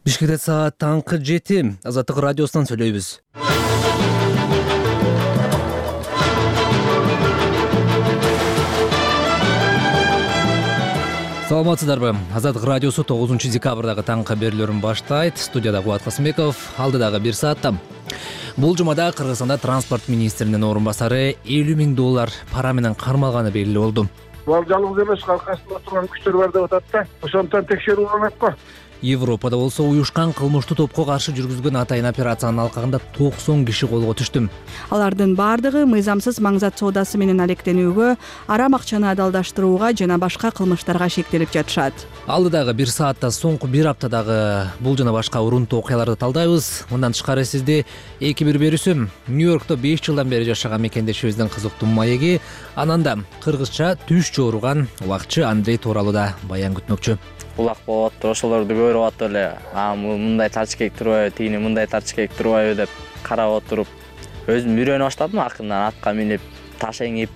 Бишкекте саат таңкы 7. Азаттык радиосунан сүйлөйбүз. Саламатсыздарбы? Азаттык радиосу 9 декабрдагы таңкы берүүлөрүн баштайт. Студияда Кубат Касымбеков. Алдыдагы 1 саатта. Бул жумада Кыргызстанда транспорт министринин орун басары $50,000 пара менен кармалганы белгилүү болду. Бул жалгыз эмес, аркасында турган күчтөр бар деп атат да. Ошондон текшерүү уланат го. Европада болсо уюшкан кылмыштуу топко каршы жүргүзгөн атайын операциянын алкагында 90 киши колго түштү. Алардын бардыгы мыйзамсыз маңзат соодасы менен алектенүүгө, арам акчаны адалдаштырууга жана башка кылмыштарга шектелип жатышат. Алдыдагы 1 саатта соңку 1 аптадагы бул жана башка урунтуу окуяларды талдайбыз. Мындан тышкары сизди 2-1 берүүсү Нью-Йоркто 5 жылдан бери жашаган мекендешибиздин кызыктуу маеги, анан да кыргызча түш жооруган убакчы Андрей тууралуу да баян күтмөкчү. Улак болуп атты, ошолорду көрүп атып эле, мындай тачкек турбайбы, тигини мындай тачкек турбайбы деп карап отуруп, өзүм үйрөнө баштадым акырынан атка минип, таш эңип.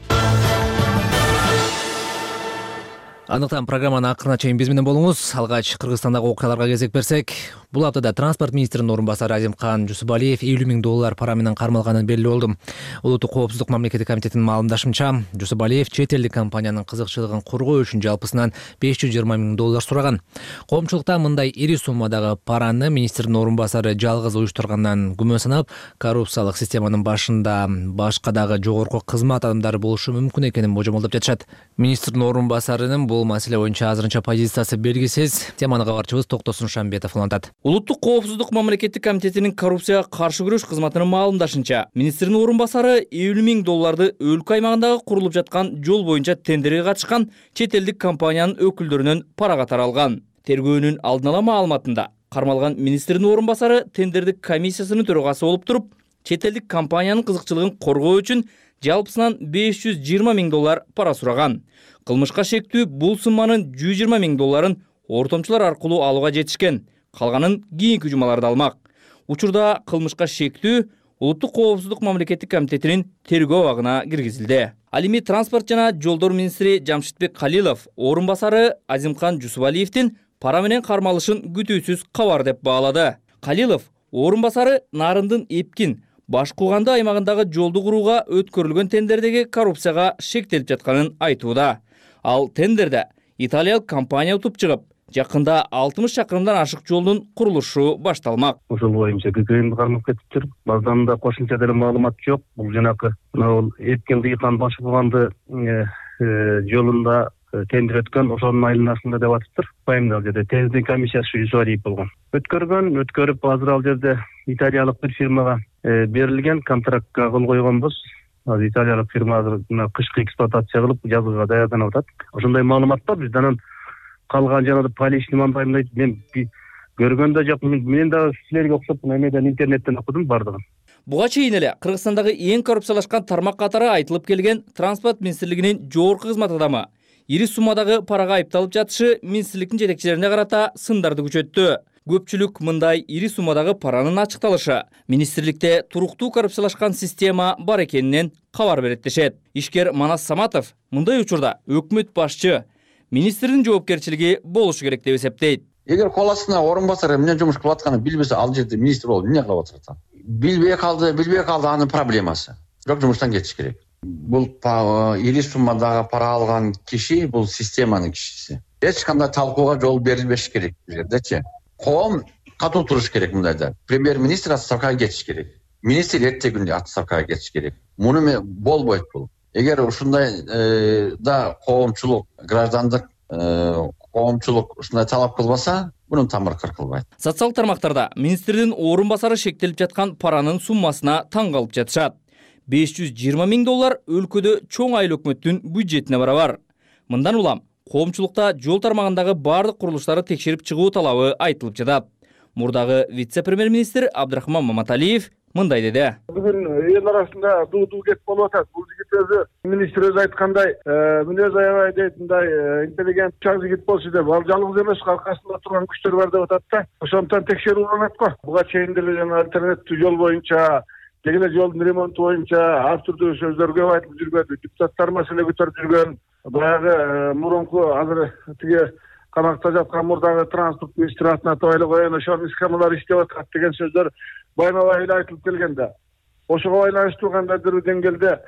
Андыктан программаны акырына чейин биз менен болуңуз. Алгач Кыргызстандагы окуяларга кезек берсек, бул аптада транспорт министринин орун басары Азимкан Жусупалиев $50,000 пара менен кармалганын белгилүү болду. Улуттук коопсуздук мамлекеттик комитетинин маалымдашынча, Жусупалиев чет элдик компаниянын кызыкчылыгын коргоо үчүн жалпысынан $520,000 сураган. Коомчулукта мындай ири суммадагы параны министрдин орун басары жалгыз уюштургандан күмөн санап, коррупциялык системанын башында башка дагы жогорку кызмат адамдары болушу мүмкүн экенин божомолдоп жатышат. Министрдин орун басарынын бул маселе боюнча азырынча позициясы белгисиз. Теманы кабарчыбыз Токтосун Шамбетов улантат. Улуттук коопсуздук мамлекеттик комитетинин коррупцияга каршы күрөш кызматынын маалымдашынча, министрдин орун басары $50,000 өлкө аймагындагы курулуп жаткан жол боюнча тендерге катышкан чет элдик компаниянын өкүлдөрүнөн пара катары алган. Тергөөнүн алдын ала маалыматында кармалган министрдин орун басары тендердик комиссиясынын төрагасы болуп туруп, чет элдик компаниянын кызыкчылыгын коргоо үчүн жалпысынан $520,000 пара сураган. Кылмышка шектүү бул сумманын $120,000 ортомчулар аркылуу алууга жетишкен. Калганын кийинки жумаларда алмак. Учурда кылмышка шектүү Улуттук коопсуздук мамлекеттик комитетинин тергөө абагына киргизилди. Ал эми транспорт жана жолдор министри Жамшитбек Калилов орун басары Азимкан Жусупалиевдин пара менен кармалышын күтүүсүз кабар деп баалады. Калилов орун басары Нарындын Эпкин Баш Кууганды аймагындагы жолду курууга өткөрүлгөн тендердеги коррупцияга шектелип жатканын айтууда. Ал тендерде италиялык компания утуп чыгып, жакында 60 чакырымдан ашык жолдун курулушу башталмак. Ошол боюнча ККМ кармап кетиптир. Баздан да кошумча деле маалымат жок. Бул жанакы Эпкин Дыйкан Баш Кууганды жолунда тендер өткөн, ошонун айланасында деп атыптыр. Пайымдал жерде тендер комиссиясы Жусупалиев болгон. Өткөрүп азыр ал жерде италиялык бир фирмага берилген, контрактка кол койгонбуз. Италиялык фирма азыр кышкы эксплуатация кылып жазууга даярданып атат. Ошондой маалымат бар. Биз анан калган жанагы поличный мандайдайт. Мен көргөндө жок. Мен дагы силерге окшоп эмеден интернеттен окудум бардыгын. Буга чейин эле Кыргызстандагы эң коррупциялашкан тармак катары айтылып келген транспорт министрлигинин жогорку кызмат адамы ири суммадагы парага айыпталып жатышы министрликтин жетекчилерине карата сындарды күчөттү. Көпчүлүк мындай ири суммадагы паранын ачыкталышы министрликте туруктуу коррупциялашкан система бар экенинен кабар берет дешет. Ишкер Манас Саматов мындай учурда өкмөт башчы министрдин жоопкерчилиги болушу керек деп эсептейт. Эгер кол астына орун басары эмне жумуш кылып атканын билбесе, ал жерде министр болуп эмне кылып атат? Билбей калды анын проблемасы. Бирок жумуштан кетиш керек. Бул ири суммадагы пара алган киши бул системанын кишиси. Эч кандай талкууга жол берилбеш керек бул жердечи. Коом катуу туруш керек мындайда. Премьер-министр отставкага кетиш керек. Министр эртеги отставкага кетиш керек. Муну болбойт бул. Эгер ушундай да коомчулук, граждандык коомчулук ушундай талап кылбаса, мунун тамыры кыркылбайт. Социалдык тармактарда министрдин орун басары шектелип жаткан паранын суммасына таң калып жатышат. $520,000 өлкөдө чоң айыл өкмөттүн бюджетине барабар. Мындан улам коомчулукта жол тармагындагы бардык курулуштарды текшерип чыгуу талабы айтылып жатат. Мурдагы вице-премьер-министр Абдрахман Маматалиев мындай деди. Бүгүн эл арасында дуу кеп болуп атат. Бул жигит өзү министр өзү айткандай, мүнөз аябай дейт, мындай интеллигент чак жигит болчу деп. Ал жалгыз эмес, аркасында турган күчтөр бар деп атат да. Ошондон текшерүү уланат го. Буга чейин деле жана альтернативдүү жол боюнча, келе жолдун ремонту боюнча ар түрдүү сөздөр көп айтылып жүргөн, депутаттар маселе көтөрүп жүргөн. Баягы мурунку азыр тиги камакта жаткан мурдагы транспорт министри атына табайлы коюн, ошонун схемалары иштеп атат деген сөздөр байма-бай эле айтылып келген да. Ошого байланыштуу кандайдыр бир деңгээлде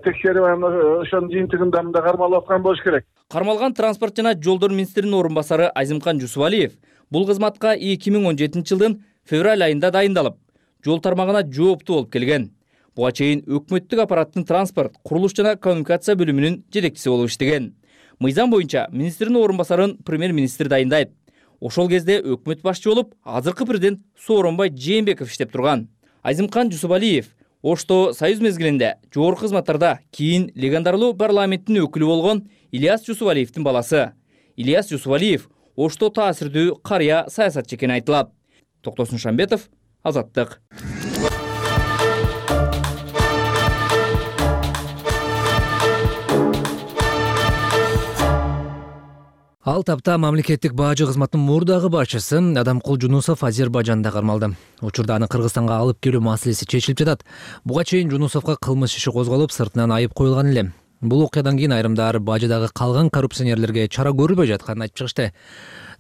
текшерип ошонун жыйынтыгында мындай кармалып аткан болуш керек. Кармалган транспорт жана жолдор министринин орун басары Азимкан Жусубалиев бул кызматка 2017 жылдын февраль айында дайындалып, жол тармагына жооптуу болуп келген. Буга чейин өкмөттүк аппараттын транспорт, курулуш жана коммуникация бөлүмүнүн жетекчиси болуп иштеген. Мыйзам боюнча министринин орун басарын премьер-министр дайындайт. Ошол кезде өкмөт башчы болуп, азыркы президент Сооронбай Жээнбеков иштеп турган. Азимкан Жусубалиев Ошто союз мезгилинде жогорку кызматтарда кийин легендарлуу парламенттин өкүлү болгон Ильяс Жусубалиевдин баласы. Ильяс Жусубалиев Ошто таасирдүү карыя саясатчы экени айтылат. Токтосун Шамбетов, Азаттык. Ал тапта мамлекеттик бажы кызматынын мурдагы башчысы Адамкул Жунусов Азербайжанда кармалды. Учурда аны Кыргызстанга алып келүү маселеси чечилип жатат. Буга чейин Жунусовго кылмыш иши козголуп, сыртынан айып коюлган эле. Бул окуядан кийин айрымдар бажыдагы калган коррупционерлерге чара көрүлбөй жатканын айтып чыгышты.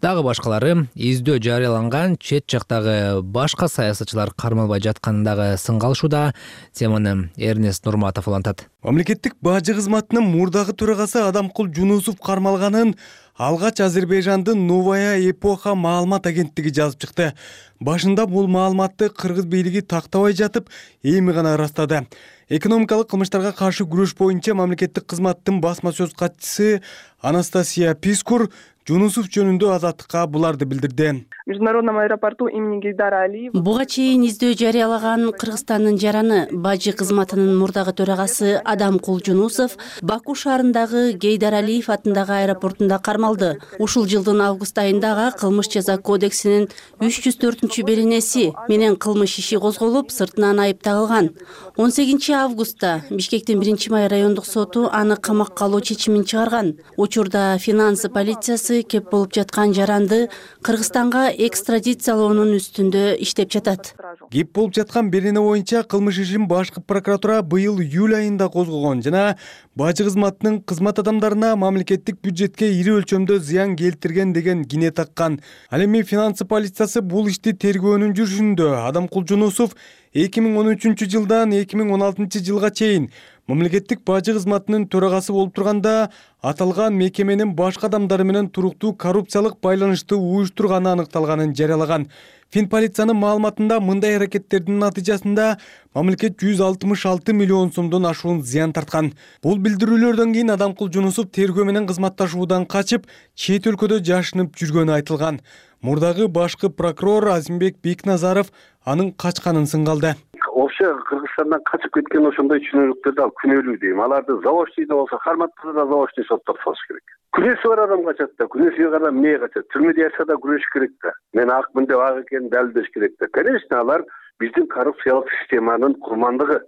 Дагы башкалары издөө жарыяланган чет жактагы башка саясатчылар кармалбай жатканын дагы сынга алышууда. Теманы Эрнест Нурматов улантат. Мамлекеттик бажы кызматынын мурдагы төрагасы Адамкул Жунусов кармалганын алгач Азербайжандын Новая эпоха маалымат агенттиги жазып чыкты. Башында бул маалыматты кыргыз бийлиги тактабай жатып, эми гана ырастады. Экономикалык кылмыштарга каршы күрөш боюнча мамлекеттик кызматтын басма сөз катчысы Анастасия Пискур Жунусов жөнүндө Азаттыкка буларды билдирди. В международном аэропорту имени Гейдара Алиева буга чейин издөө жарыялаган Кыргызстандын жараны бажы кызматынын мурдагы төрагасы Адамкул Жунусов Баку шаарындагы Гейдар Алиев атындагы аэропортунда кармалды. Ушул жылдын август айында кылмыш жаза кодексинин 304-беренеси менен кылмыш иши козголуп, сыртынан айып тагылган. 18 августта Бишкектин 1-май райондук соту аны камакка алуу чечимин чыгарган. Учурда финансы полициясы кеп болуп жаткан жаранды Кыргызстанга экстрадициялоонун үстүндө иштеп жатат. Кеп болуп жаткан берене боюнча кылмыш ишин башкы прокуратура быйыл июль айында козгогон жана бажы кызматынын кызмат адамдарына мамлекеттик бюджетке ири өлчөмдө зыян келтирген деген кине таккан. Ал эми финансы полициясы бул ишти тергөөнүн жүрүшүндө. Адамкул Жунусов 2013 жылдан 2016 жылга чейин мамлекеттик бажы кызматынын төрагасы болуп турганда аталган мекеменин башка адамдары менен туруктуу коррупциялык байланышты уюштурганы аныкталганын жарыялаган. Финполициянын маалыматында мындай аракеттердин натыйжасында мамлекет 166 миллион сомдон ашуун зыян тарткан. Бул билдирүүлөрдөн кийин Адамкул Жунусов тергөө менен кызматташуудан качып, чет өлкөдө жашынып жүргөнү айтылган. Мурдагы башкы прокурор Азимбек Бекназаров анын качканын сынга алды. Вообще Кыргызстандан качып кеткен ошондой чүнөлүктөрдү ал күнөөлүү дейм. Аларды заочныйда болсо карматса да заочный соттор салыш керек. Күнөөсү бар адам качат да, күнөөсү бар адам эмне качат? Түрмөдө жашаса да күрөшүш керек да. Мен акмын деп ак экенин далилдеш керек да. Конечно, алар биздин коррупциялык системанын курмандыгы.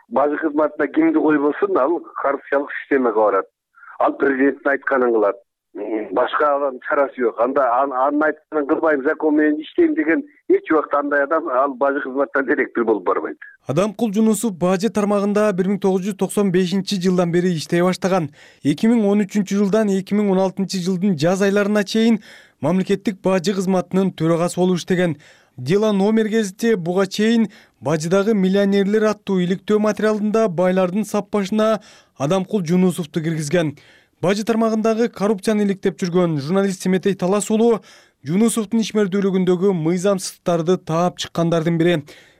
Бажы кызматына кимди койбосун, ал коррупциялык системага барат. Ал президенттин айтканын кылат. Башка чарасы жок. Анда анын айтканын кылбайм, закон менен иштейм деген эч убакта андай адам ал бажы кызматтан директор болуп барбайт. Адамкул Жунусов бажы тармагында 1995 жылдан бери иштей баштаган. 2013 жылдан 2016 жылдын жаз айларына чейин мамлекеттик бажы кызматынын төрагасы болуп иштеген. Дела номер гезити буга чейин бажыдагы миллионерлер аттуу иликтөө материалында байлардын саппашына Адамкул Жунусовду киргизген. Бажы тармагындагы коррупцияны иликтеп жүргөн журналист Семетей Талас уулу Жунусовдун ишмердүүлүгүндөгү мыйзамсыздыктарды таап чыккандардын бири.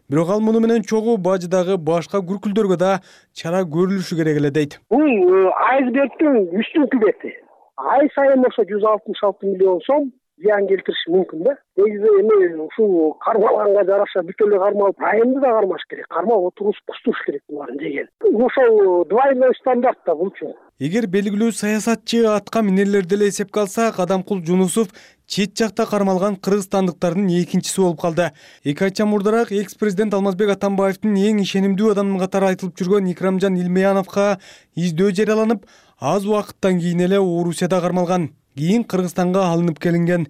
Бирок ал муну менен чогуу бажыдагы башка күркүлдөргө да чара көрүлүшү керек эле дейт. Бул айсбергдин үстүнкү бети. Ай сайын ошо 166 миллион сом зыян келтириши мүмкүн да. Негизи эми ушул кармалганга жараша бүт эле кармалып, айымды да кармаш керек. Кармап отуруш кустуруш керек буларын деген. Ошол двойной стандарт да булчу. Эгер белгилүү саясатчы атка минерлерди эле эсепке алсак, Адамкул Жунусов чет жакта кармалган кыргызстандыктардын экинчиси болуп калды. 2 айча мурдараак экс-президент Алмазбек Атамбаевдин эң ишенимдүү адамы катары айтылып жүргөн Икрамжан Илмеяновго издөө жарыяланып, аз убакыттан кийин эле Орусияда кармалган. Кийин Кыргызстанга алынып келинген.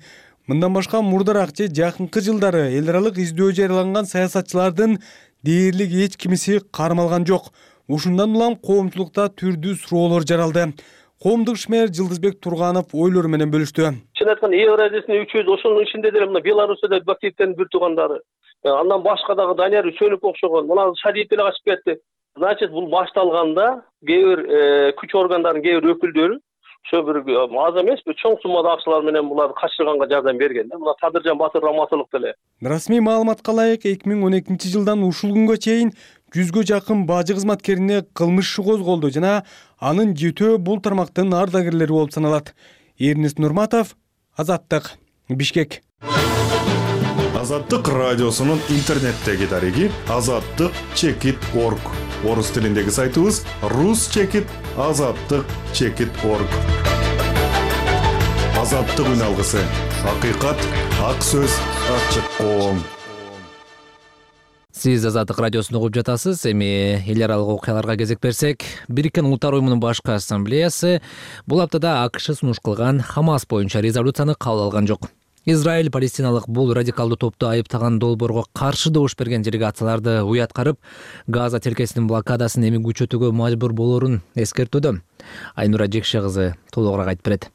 Мындан башка мурдараак же жакынкы жылдары эл аралык издөө жарыяланган саясатчылардын дээрлик эч кимиси кармалган жок. Ушундан улам коомчулукта түрдүү суроолор жаралды. коомдук ишмер Жылдызбек Турганов ойлору менен бөлүштү. Чын айтканда Евразиясынын 300 ошонун ичинде деле мына Белоруссияда Бактиевдин бир туугандары, андан башка дагы Данияр Үсөнов окшогон, мына Шадиев деле качып кетти. Значит, бул башталганда кээ бир күч органдарынын кээ бир өкүлдөрү ошо бир аз эмеспи чоң суммада акчалар менен буларды качырганга жардам берген да. Мына Кадыржан Батыр Раматылык деле. Расмий маалыматка ылайык 2012 жылдан ушул күнгө чейин 100гө жакын бажы кызматкерине кылмыш иши козголду жана анын 7 бул тармактын ардагерлери болуп саналат. Эрнест Нурматов, Азаттык, Бишкек. Азаттык радиосунун интернеттеги дареги azattik.org. Орус тилиндеги сайтыбыз rus.azattik.org. Азаттык үн алгысы. Акыйкат, ак сөз, ачык коом. Сиз Азаттык радиосун угуп жатасыз. Эми эл аралык окуяларга кезек берсек, Бириккен Улуттар уюмунун башкы ассамблеясы бул аптада АКШ сунуш кылган Хамас боюнча резолюцияны кабыл алган жок. Израиль палестиналык бул радикалдуу топту айыптаган долбоорго каршы добуш берген делегацияларды уяткарып, Газа тилкесинин блокадасын эми күчөтүүгө мажбур болорун эскертүүдө. Айнура Жекше кызы толугураак айтып берет.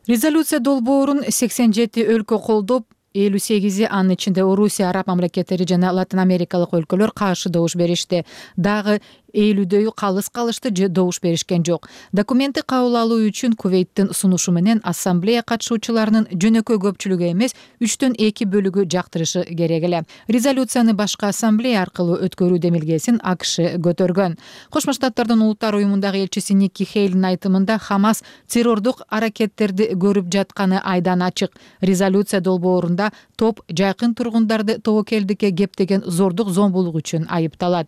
Резолюция долбоорун 87 өлкө колдоп, 58 анын ичинде Орусия, араб мамлекеттери жана Латин Америкалык өлкөлөр каршы добуш беришти. Дагы 50дөйү калыс калышты же добуш беришкен жок. Документти кабыл алуу үчүн Кувейттин сунушу менен ассамблея катышуучуларынын жөнөкөй көпчүлүгү эмес, 3төн 2 бөлүгү жактырышы керек эле. Резолюцияны башкы ассамблея аркылуу өткөрүү демилгесин АКШ көтөргөн. Кошмо Штаттардын улуттар уюмундагы элчиси Никки Хейлин айтымында Хамас террордук аракеттерди көрүп жатканы айдан ачык. Резолюция долбоорунда топ жакын тургундарды тобокелдикке кептеген зордук зомбулук үчүн айыпталат.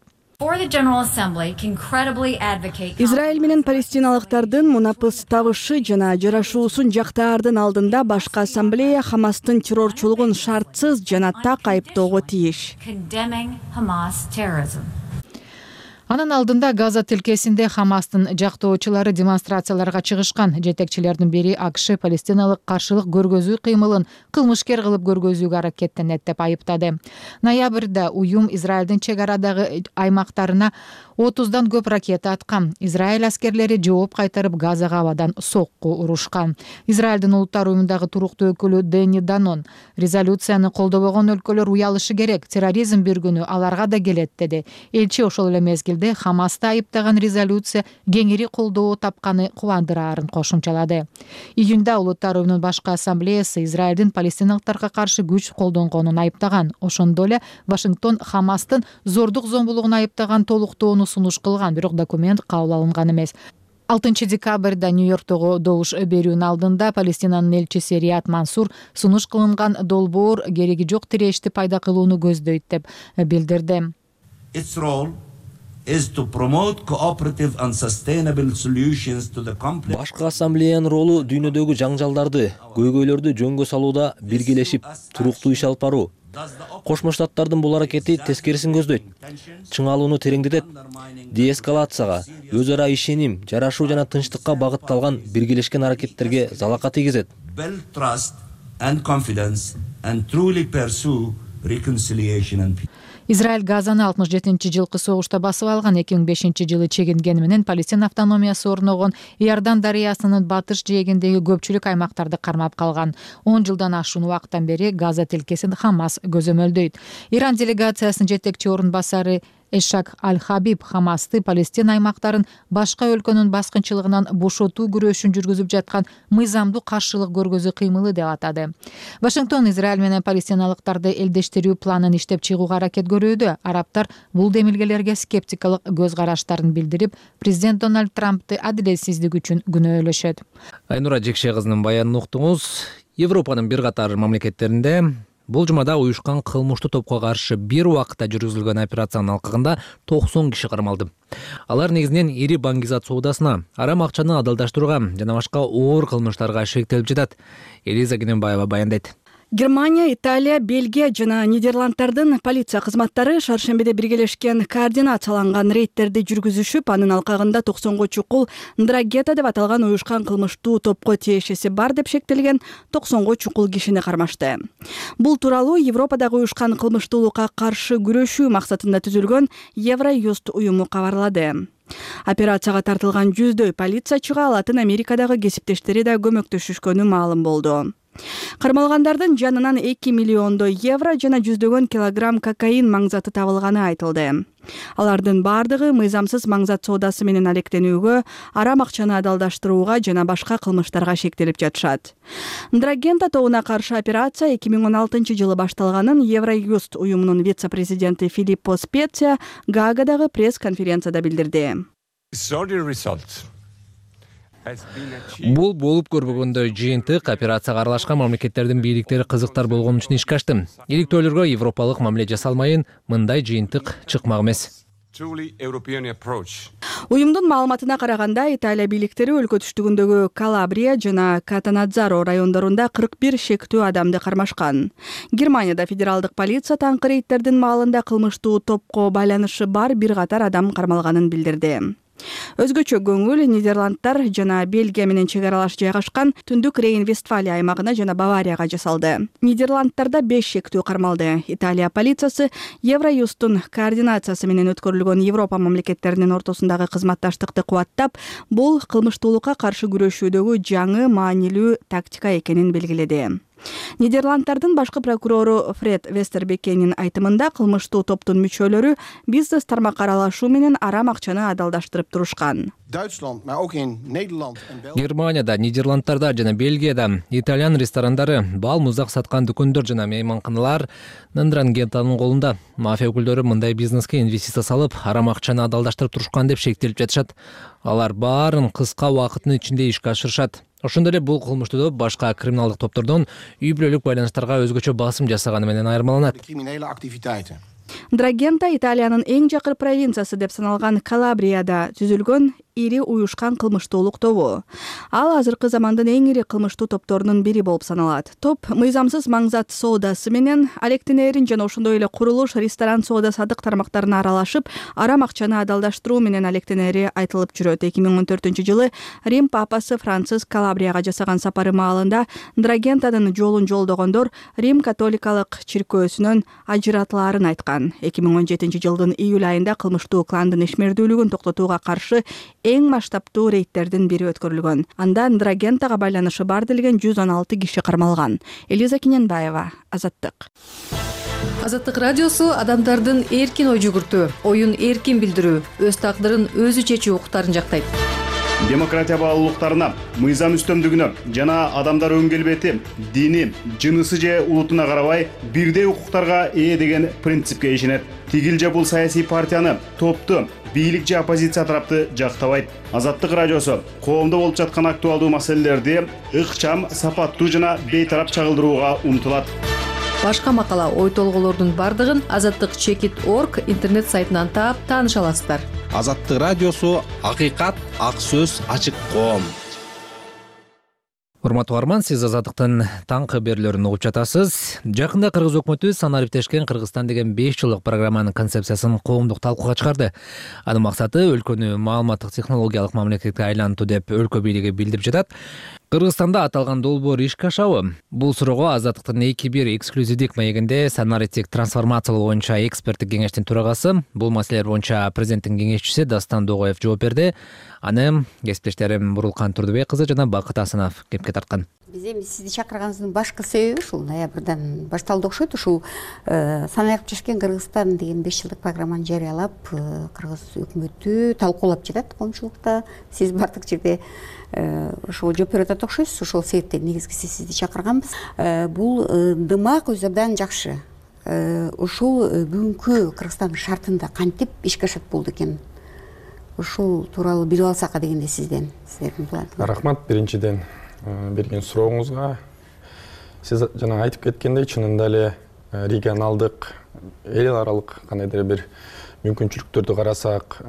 Израиль менен палестиналыктардын мунапыс табышы жана жарашуусун жактаардын алдында башкы ассамблея Хамастын террорчулугун шартсыз жана так айыптоого тийиш. Анын алдында Газа тилкесинде Хамастын жактоочулары демонстрацияларга чыгышкан. Жетекчилердин бири АКШ палестиналык каршылык көргөзүү кыймылын кылмышкер кылып көргөзүүгө аракеттенет деп айыптады. Ноябрда уюм Израилдин чек арадагы аймактарына 30дан көп ракета аткан. Израиль аскерлери жооп кайтарып Газага абадан сокку урушкан. Израилдин улуттар уюмундагы туруктуу өкүлү Дени Данон резолюцияны колдобогон өлкөлөр уялышы керек, терроризм бир күнү аларга да келет деди. Элчи ошол эле мезгилде Хамасты айыптаган резолюция кеңири колдоо тапканы кубандыраарын кошумчалады. Июнда улуттар уюмунун башкы ассамблеясы Израилдин палестиналыктарга каршы күч колдонгонун айыптаган. Ошондо эле Вашингтон Хамастын зордук зомбулугун айыптаган толуктоону сунуш кылган, бирок документ кабыл алынган эмес. 6 декабрда Нью-Йорктогу добуш берүүнүн алдында Палестинанын элчиси Рият Мансур сунуш кылынган долбоор кереги жок тирешти пайда кылууну көздөйт деп билдирди. Башкы ассамблеянын ролу дүйнөдөгү жаңжалдарды, көйгөйлөрдү жөнгө салууда биргелешип, туруктуу иш алып баруу. Кошмо Штаттардын бул аракети тескерисин көздөйт. Чыңалууну тереңдетет, деэскалацияга, өз ара ишеним, жарашуу жана тынчтыкка багытталган биргелешкен аракеттерге залака тийгизет. Израиль Газаны 67-жылкы согушта басып алган, 2005-жылы чегингени менен Палестина автономиясы орногон Иордан дарыясынын батыш жээгиндеги көпчүлүк аймактарды кармап калган. 10 жылдан ашуун убакыттан бери Газа тилкесин Хамас көзөмөлдөйт. Иран делегациясынын жетекчи орун басары Эшак Аль-Хабиб Хамасты Палестина аймактарын башка өлкөнүн баскынчылыгынан бошотуу күрөшүн жүргүзүп жаткан мыйзамдуу каршылык көргөзүү кыймылы деп атады. Вашингтон Израиль менен палестиналыктарды элдештирүү планын иштеп чыгууга аракет көрүүдө. Арабтар бул демилгелерге скептикалык көз караштарын билдирип, президент Дональд Трампты адилетсиздик үчүн күнөөлөшөт. Айнура Жекше кызынын баянын уктуңуз. Европанын бир катар мамлекеттеринде бул жумада уюшкан кылмыштуу топко каршы бир убакытта жүргүзүлгөн операциянын алкагында 90 киши кармалды. Алар негизинен ири баңгизат соодасына, арам акчаны адалдаштырууга жана башка оор кылмыштарга шектелип жатат. Элиза Кененбаева баяндайт. Германия, Италия, Бельгия жана Нидерланддардын полиция кызматтары шаршембиде биргелешкен координацияланган рейдтерди жүргүзүшүп, анын алкагында 90 чукул Ндрагета деп аталган уюшкан кылмыштуу топко тиешеси бар деп шектелген 90 чукул кишини кармашты. Бул тууралуу Европадагы уюшкан кылмыштуулукка каршы күрөшүү максатында түзүлгөн Евроюст уюму кабарлады. Операцияга тартылган жүздөй полициячыга Латын Америкадагы кесиптештери да көмөктөшүшкөнү маалым болду. Кармалгандардын жанынан 2 миллиондой евро жана жүздөгөн килограмм кокаин маңзаты табылганы айтылды. Алардын бардыгы мыйзамсыз маңзат соодасы менен алектенүүгө, арам акчаны адалдаштырууга жана башка кылмыштарга шектелип жатышат. Ндрагента тобуна каршы операция 2016 жылы башталганын Евроюст уюмунун вице-президенти Филиппо Специя Гаагадагы пресс-конференцияда билдирди. Бул болуп көрбөгөндөй жыйынтык операцияга аралашкан мамлекеттердин бийликтери кызыктар болгон үчүн ишке ашты. Иликтөөлөргө европалык мамиле жасалмайын мындай жыйынтык чыкмак эмес. Уюмдун маалыматына караганда, Италия бийликтери өлкө түштүгүндөгү Калабрия жана Катанадзаро райондорунда 41 шектүү адамды кармашкан. Германияда федералдык полиция таңкы рейдтердин маалында кылмыштуу топко байланышы бар бир катар адам кармалганын билдирди. Өзгөчө көңүл Нидерланддар жана Бельгия менен чек аралаш жайгашкан Түндүк Рейн-Вестфалия аймагына жана Баварияга жасалды. Нидерланддарда 5 шектүү кармалды. Италия полициясы Евроюстун координациясы менен өткөрүлгөн Европа мамлекеттеринин ортосундагы кызматташтыкты кубаттап, бул кылмыштуулукка каршы күрөшүүдөгү жаңы маанилүү тактика экенин белгиледи. Нидерланддардын башкы прокурору Фред Вестербекенин айтымында, кылмыштуу топтун мүчөлөрү бизнес тармакка аралашуу менен арам акчаны адалдаштырып турушкан. Германияда, Нидерланддарда жана Бельгияда итальян ресторандары, бал муздак саткан дүкөндөр жана мейманканалар Ндрагентанын колунда. Мафия өкүлдөрү мындай бизнеске инвестиция салып, арам акчаны адалдаштырып турушкан деп шектелип жатышат. Алар баарын кыска убакыттын ичинде ишке ашырышат. Ошондой эле бул кылмыштуу топ башка криминалдык топтордон үй бүлөлүк байланыштарга өзгөчө басым жасаганы менен айырмаланат. Ндрагента Италиянын эң жакыр провинциясы деп саналган Калабрияда түзүлгөн ири уюшкан кылмыштуулук тобу. Ал азыркы замандын эң ири кылмыштуу топторунун бири болуп саналат. Топ мыйзамсыз маңзат соодасы менен алектенерин жана ошондой эле курулуш, ресторан соода садык тармактарына аралашып, арам акчаны адалдаштыруу менен алектенери айтылып жүрөт. 2014 жылы Рим папасы Франциск Калабрияга жасаган сапары маалында Ндрагентанын жолун жолдогондор Рим католикалык чиркөөсүнөн ажыратылаарын айткан. 2017 жылдын июль айында кылмыштуу кландын ишмердүүлүгүн токтотууга каршы эң масштабтуу рейдтердин бири өткөрүлгөн. Анда Ндрагентага байланышы бар делген 116 киши кармалган. Элиза Киненбаева, Азаттык. Азаттык радиосу адамдардын эркин ой жүгүртүү, оюн эркин билдирүү, өз тагдырын өзү чечүү укуктарын жактайт. Демократия баалуулуктарына, мыйзам үстөмдүгүнө жана адамдар өң келбети, дини, жынысы же улутуна карабай бирдей укуктарга ээ деген принципке ишенет. Тигил же бул саясий партияны, топту, бийлик же оппозиция тарапты жактабайт. Азаттык радиосу коомдо болуп жаткан актуалдуу маселелерди ыкчам, сапаттуу жана бейтарап чагылдырууга умтулат. Башка макала, ой толголордун бардыгын azattik.org интернет сайтынан таап тааныша аласыздар. Азаттык радиосу акыйкат, ак сөз, ачык коом. Урматтуу арман, сиз Азаттыктын таңкы берүүлөрүн угуп жатасыз. Жакында кыргыз өкмөтү санариптешкен Кыргызстан деген 5 жылдык программанын концепциясын коомдук талкууга чыгарды. Анын максаты өлкөнү маалыматтык технологиялык мамлекетке айлантуу деп өлкө бийлиги билдирип жатат. Кыргызстанда аталган долбоор ишке ашабы? Бул суроого Азаттыктын 2-1 эксклюзивдик маегинде санариптик трансформациялоо боюнча эксперттик кеңештин төрагасы, бул маселелер боюнча президенттин кеңешчиси Дастан Догоев жооп берди. Аны кесиптештерим Бурулкан Турдубек кызы жана Бакыт Асанов кепке тарткан. Биз эми сизди чакырганыбыздын башкы себеби ушул ноябрдан башталды окшойт. Ушул санариптешкен Кыргызстан деген 5 жылдык программаны жарыялап, кыргыз өкмөтү талкуулап жатат коомчулукта. Сиз бардык жерде ошол жооп берип атат окшойсуз. Ошол себептен негизгиси сизди чакырганбыз. Бул ынтымак өз абдан жакшы. Ушул бүгүнкү Кыргызстандын шартында кантип ишке ашат болду экен? Ушул тууралуу билип алсак дегенде сизден. Рахмат биринчиден берген сурооңузга. Сиз жана айтып кеткендей, чынында эле регионалдык, эл аралык кандайдыр бир мүмкүнчүлүктөрдү карасак,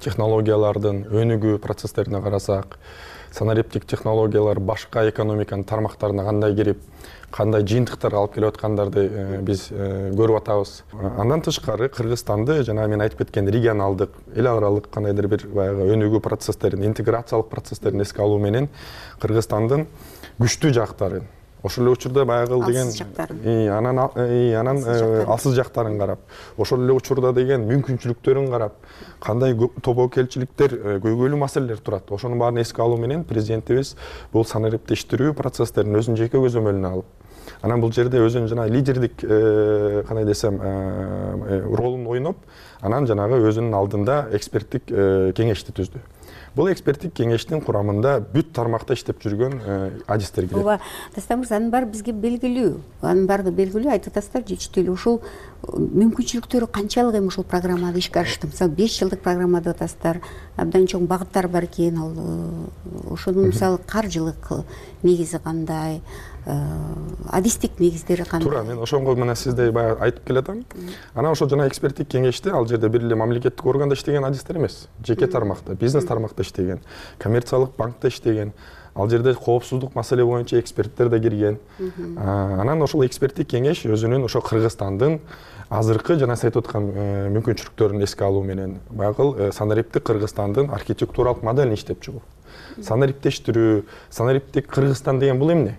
технологиялардын өнүгүү процесстерине карасак, санариптик технологиялар башка экономиканын тармактарына кандай кирип, кандай жыйынтыктарга алып келип аткандарды биз көрүп атабыз. Андан тышкары Кыргызстанды жана мен айтып кеткен регионалдык, эл аралык кандайдыр бир баягы өнүгүү процесстерин, интеграциялык процесстерин эске алуу менен Кыргызстандын күчтүү жактарын, ошол эле учурда баягы деген анан алсыз жактарын карап, ошол эле учурда деген мүмкүнчүлүктөрүн карап, кандай тобокелчиликтер, көйгөйлүү маселелер турат. Ошонун баарын эске алуу менен президентибиз бул санариптештирүү процесстерин өзүнүн жеке көзөмөлүнө алып, анан бул жерде өзүнүн жана лидердик кандай десем ролун ойноп, анан жанагы өзүнүн алдында эксперттик кеңешти түздү. Бул эксперттик кеңештин курамында бүт тармакта иштеп жүргөн адистер кирет. Ооба, Дастан мырза, анын баары бизге белгилүү. Анын баары белгилүү, айтып атасыздар, жетиштүү эле. Ушул мүмкүнчүлүктөрү канчалык эми ушул программада ишке ашты? Мисалы 5 жылдык программа деп атасыздар. Абдан чоң багыттар бар экен. Ал ошонун мисалы каржылык негизи кандай? Адистик негиздери кандай? Туура, мен ошонго мына сизде баягы айтып келатам. Анан ошол жана эксперттик кеңеште ал жерде бир эле мамлекеттик органда иштеген адистер эмес, жеке тармакта, бизнес тармакта иштеген, коммерциялык банкта иштеген, ал жерде коопсуздук маселе боюнча эксперттер да кирген. Анан ошол эксперттик кеңеш өзүнүн ошо Кыргызстандын азыркы жана сиз айтып аткан мүмкүнчүлүктөрүн эске алуу менен баягы санариптик Кыргызстандын архитектуралык моделин иштеп чыгуу. Санариптештирүү, санариптик Кыргызстан деген бул эмне?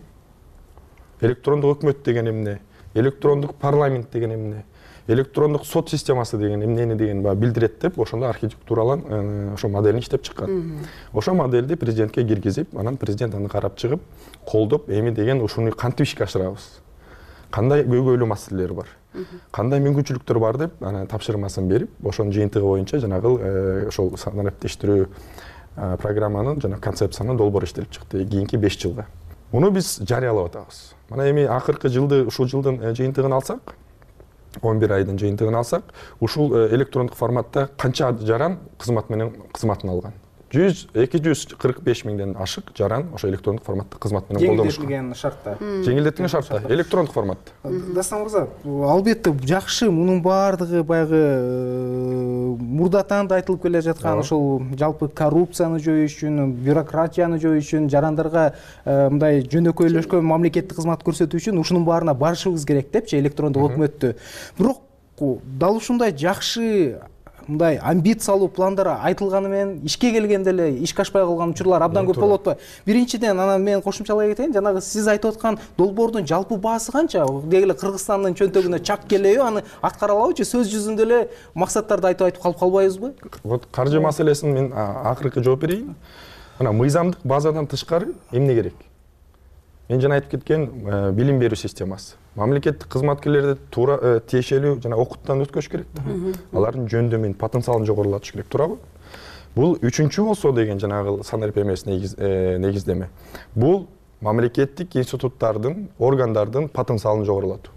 Электрондук өкмөт деген эмне? Электрондук парламент деген эмне? Электрондук сот системасы деген эмнени деген билдирет деп, ошондо архитектуралан ошо моделин иштеп чыккан. Ошол модельди президентке киргизип, анан президент аны карап чыгып, колдоп, эми деген ушуну кантип ишке ашырабыз? Кандай көйгөйлүү маселелер бар? Кандай мүмкүнчүлүктөр бар деп, анан тапшырмасын берип, ошонун жыйынтыгы боюнча жанагы ошол санариптештирүү программанын жана концепциянын долбоору иштелип чыкты кийинки 5 жылга. Муну биз жарыялап атабыз. Мына эми акыркы жылды, ушул жылдын жыйынтыгын алсак, 11 айдын жыйынтыгын алсак, ушул электрондук форматта канча жаран кызмат менен кызматын алган? 245 миңден ашык жаран ошо электрондук форматта кызмат менен колдонушкан. Жеңилдетилген шартта. Жеңилдетилген шартта, электрондук форматта. Дастан мырза, албетте жакшы, мунун баардыгы баягы мурдатан да айтылып келе жаткан ошол жалпы коррупцияны жоюу үчүн, бюрократияны жоюу үчүн, жарандарга мындай жөнөкөйлөшкөн мамлекеттик кызмат көрсөтүү үчүн ушунун баарына барышыбыз керек депчи, электрондук өкмөттү. Бирок дал ушундай жакшы мындай амбициялуу пландар айтылганы менен ишке келгенде эле ишке ашпай калган учурлар абдан көп болуп атпайбы? Биринчиден, анан мен кошумчалай кетейин, жанагы сиз айтып аткан долбоордун жалпы баасы канча? Деги эле Кыргызстандын чөнтөгүнө чак келеби, аны аткара алабычы? Сөз жүзүндө эле максаттарды айтып калып калбайбызбы? Вот каржы маселесин мен акыркы жооп берейин. Мына мыйзамдык базадан тышкары эмне керек? Мен жана айтып кеткен билим берүү системасы. Мамлекеттик кызматкерлерди туура тиешелүү жана окуттан өткөзүш керек да. Алардын жөндөмүн, потенциалын жогорулатыш керек, туурабы? Бул үчүнчү болсо деген жанагы санарип эмес негиздеме. Бул мамлекеттик институттардын, органдардын потенциалын жогорулатуу.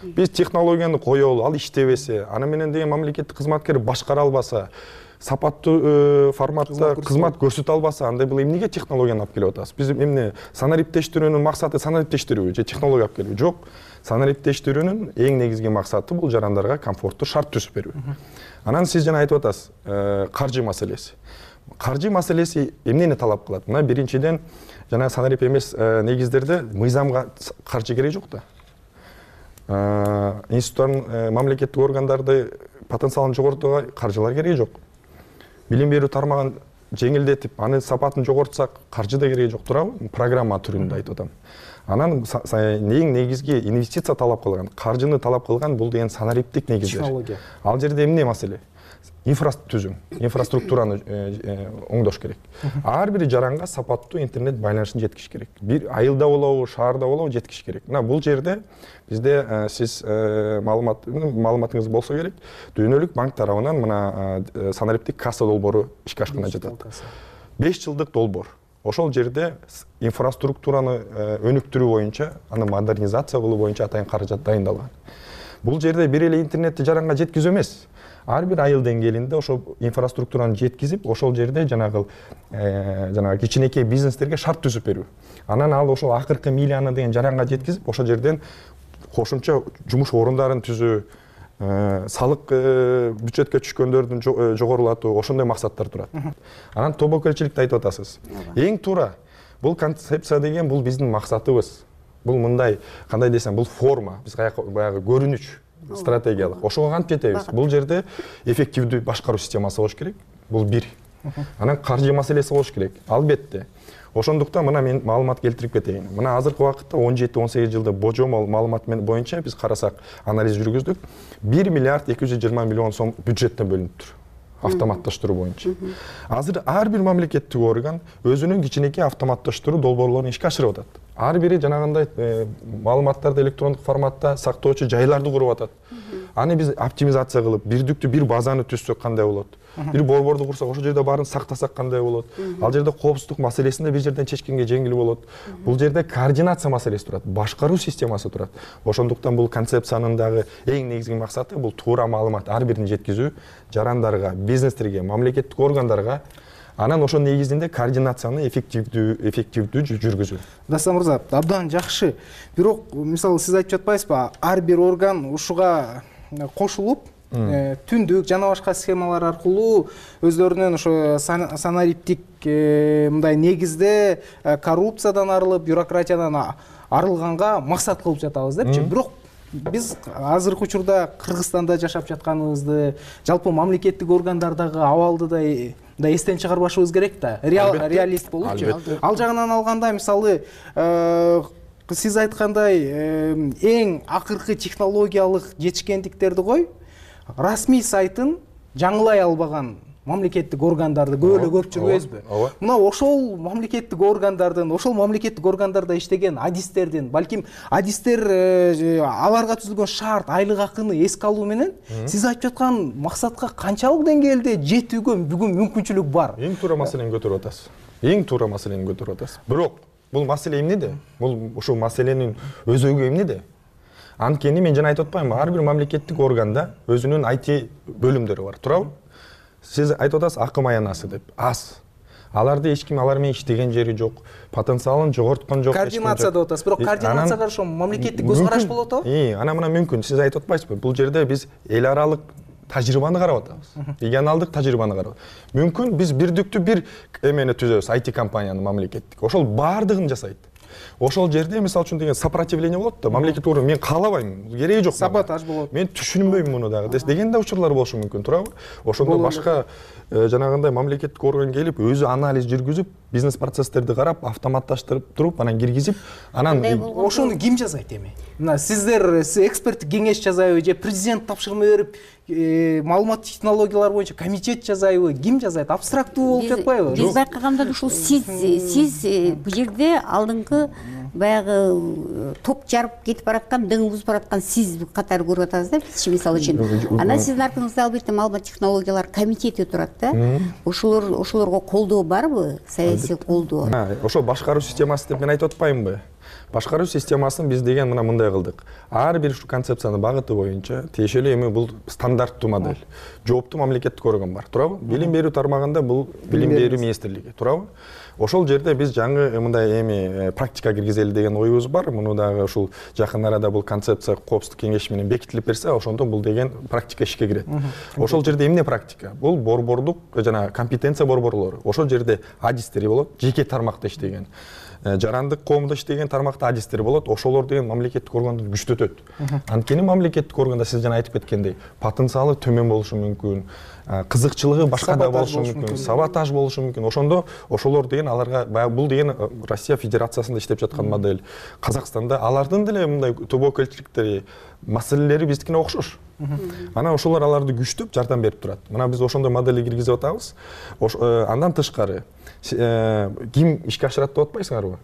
Биз технологияны коелу, ал иштебесе, аны менен деген мамлекеттик кызматкер башкара албаса, сапаттуу форматта кызмат көрсөтө албаса, андай бул эмнеге технологияны алып келип атабыз? Биз эмне санариптештирүүнүн максаты санариптештирүү же технология алып келүү? Жок. Санариптештирүүнүн эң негизги максаты бул жарандарга комфорттуу шарт түзүп берүү. Анан сиз жана айтып атасыз, каржы маселеси. Каржы маселеси эмнени талап кылат? Мына биринчиден жана санарип эмес негиздерде мыйзамга каржы кереги жок да. Институттардын, мамлекеттик органдарды потенциалын жогортууга каржылар кереги жок. Билим берүү тармагын жеңилдетип, аны сапатын жогортсак, каржы да кереги жок, туурабы? Программа түрүндө айтып атам. Анан эң негизги инвестиция талап кылган, каржыны талап кылган бул деген санариптик негиздер. Технология. Ал жерде эмне маселе? Инфраструктураны оңдош керек. Ар бир жаранга сапаттуу интернет байланышын жеткириш керек. Бир айылда болобу, шаарда болобу жеткириш керек. Мына бул жерде бизде сиз маалыматыңыз болсо керек, Дүйнөлүк банк тарабынан мына санариптик касса долбоору ишке ашканына жатат. 5 жылдык долбоор. Ошол жерде инфраструктураны өнүктүрүү боюнча, аны модернизация кылуу боюнча атайын каражат дайындалган. Бул жерде бир эле интернетти жаранга жеткизүү эмес. Ар бир айыл деңгээлинде ошол инфраструктураны жеткизип, ошол жерде жанагы кичинекей бизнестерге шарт түзүп берүү. Анан ал ошол акыркы милияны деген жаранга жеткизип, ошол жерден кошумча жумуш орундарын түзүү, салык бюджетке түшкөндөрдүн жогорулатуу, ошондой максаттар турат. Анан тобокелчиликти айтып атасыз. Эң туура. Бул концепция деген бул биздин максатыбыз. бул мындай кандай десем, бул форма, биз баягы көрүнүч стратегиялык. Ошого кантип жетебиз? Бул жерде эффективдүү башкаруу системасы болуш керек. Бул бир. Анан каржы маселеси болуш керек. Албетте. Ошондуктан мына мен маалымат келтирип кетейин. Мына азыркы убакытта 17-18 жылда божомол маалымат боюнча биз карасак, анализ жүргүздүк. 1 миллиард 220 миллион сом бюджеттен бөлүнүптүр. Автоматташтыруу боюнча. Азыр ар бир мамлекеттик орган өзүнүн кичинекей автоматташтыруу долбоорлорун ишке ашырып атат. Ар бири жанагындай маалыматтарды электрондук форматта сактоочу жайларды куруп атат. Аны биз оптимизация кылып, бирдиктүү бир базаны түзсөк кандай болот? Бир борборду курсак, ошол жерде баарын сактасак кандай болот? Ал жерде коопсуздук маселесин да бир жерден чечкенге жеңил болот. Бул жерде координация маселеси турат, башкаруу системасы турат. Ошондуктан бул концепциянын дагы эң негизги максаты бул туура маалымат ар бирин жеткизүү, жарандарга, бизнестерге, мамлекеттик органдарга, анан ошонун негизинде координацияны эффективдүү жүргүзүү. Дастан мырза, абдан жакшы. Бирок, мисалы, сиз айтып жатпайсызбы, ар бир орган ушуга кошулуп, түндүк жана башка схемалар аркылуу өздөрүнүн ошо санариптик мындай негизде коррупциядан арылып, бюрократиядан арылганга максат кылып жатабыз депчи. Бирок биз азыркы учурда Кыргызстанда жашап жатканыбызды, жалпы мамлекеттик органдардагы абалды да эстен чыгарбашыбыз керек да. Реалист болупчу. Ал жагынан алганда, мисалы, сиз айткандай эң акыркы технологиялык жетишкендиктерди кой, расмий сайтын жаңылай албаган мамлекеттик органдарды көп жүрбөйбүзбү? Мына ошол мамлекеттик органдарда иштеген адистердин, балким адистер аларга түзүлгөн шарт, айлык акыны эске алуу менен сиз айтып жаткан максатка канчалык деңгээлде жетүүгө бүгүн мүмкүнчүлүк бар? Эң туура маселени көтөрүп атасыз. Бирок бул маселе эмнеде? Бул ушул маселенин өзөгү эмнеде? Анткени мен жана айтып атпаймынбы, ар бир мамлекеттик органда өзүнүн IT бөлүмдөрү бар, туурабы? Сиз айтып атасыз акым аянасы деп. Аз. Аларды эч ким алар менен иштеген жери жок, потенциалын жогорткон жок. Координация деп атасыз, бирок координацияга ошо мамлекеттик көз караш болот го? Ана мына мүмкүн. Сиз айтып атпайсызбы? Бул жерде биз эл аралык тажрыйбаны карап атабыз. Регионалдык тажрыйбаны карап. Мүмкүн биз бирдиктүү бир эмени түзөбүз, IT компанияны мамлекеттик. Ошол баардыгын жасайт. Ошол жерде мисалы үчүн деген сопротивление болот да, мамлекеттик орган мен каалабайм, кереги жок. Саботаж болот. Мен түшүнбөйм муну дагы деген да учурлар болушу мүмкүн, туурабы? Ошондо башка жанагындай мамлекеттик орган келип, өзү анализ жүргүзүп, бизнес процесстерди карап, автоматташтырып туруп, анан киргизип, анан ошону ким жасайт эми? Мына сиздер эксперттик кеңеш жасайбы же президент тапшырма берип, маалымат технологиялары боюнча комитет жасайбы? Ким жасайт? Абстрактуу болуп жатпайбы? Биз байкаганда ушул сиз бул жерде алдыңкы баягы топ жарып кетип бараткан, дың бузуп бараткан сиз катары көрүп атабыз да, бизчи мисалы үчүн. Анан сиздин артыңызда албетте маалымат технологиялар комитети турат да. Ошолорго колдоо барбы? Саясий колдоо. Ошол башкаруу системасы деп мен айтып атпаймынбы? Башкаруу системасын биз деген мындай кылдык. Ар бир ушу концепциянын багыты боюнча тиешелүү эми бул стандарттуу модель. Жооптуу мамлекеттик орган бар, туурабы? Билим берүү тармагында бул билим берүү министрлиги, туурабы? Ошол жерде биз жаңы мындай эми практика киргизели деген оюбуз бар. Муну дагы ушул жакын арада бул концепция коопсуздук кеңеши менен бекитилип берсе, ошондо бул деген практика ишке кирет. Ошол жерде эмне практика? Бул борбордук жана компетенция борборлору. Ошол жерде адистери болот, жеке тармакта иштеген. Жарандык коомдо иштеген тармакта адистер болот, ошолор деген мамлекеттик органды күчтөтөт. Анткени мамлекеттик органда сиз жана айтып кеткендей, потенциалы төмөн болушу мүмкүн, кызыкчылыгы башкада болушу мүмкүн, саботаж болушу мүмкүн. Ошондо ошолор деген аларга бул деген Россия Федерациясында иштеп жаткан модель. Казакстанда алардын деле мындай тобокелчиликтери, маселелери биздикине окшош. Анан ошолор аларды күчтөп жардам берип турат. Мына биз ошондой модельди киргизип атабыз. Андан тышкары ким ишке ашырат деп атпайсыңарбы?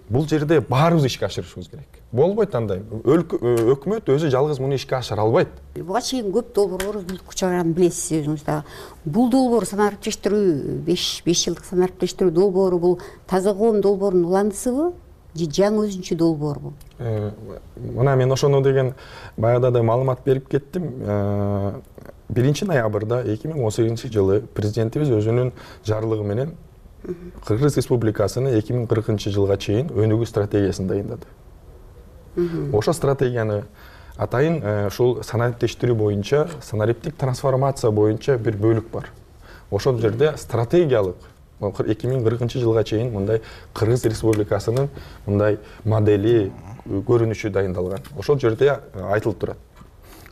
Бул жерде баарыбыз ишке ашырышыбыз керек. Болбойт андай. Өкмөт өзү жалгыз муну ишке ашыра албайт. Буга чейин көп долбоорлор мүлк чыгарганын билесиз өзүңүз да. Бул долбоор санариптештирүү 5 жылдык санариптештирүү долбоору бул таза коом долбоорунун уландысыбы? Же жаңы өзүнчө долбоорбу? Мына мен ошону деген баягыда да маалымат берип кеттим. 1 ноябрда 2018 жылы президентибиз өзүнүн жарлыгы менен Кыргыз Республикасыны 2040 жылга чейин өнүгүү стратегиясын дайындады. Ошо стратегияны атайын ушул санариптештирүү боюнча, санариптик трансформация боюнча бир бөлүк бар. Ошол жерде стратегиялык 2040 жылга чейин мындай Кыргыз Республикасынын мындай модели, көрүнүшү дайындалган. Ошол жерде айтылып турат.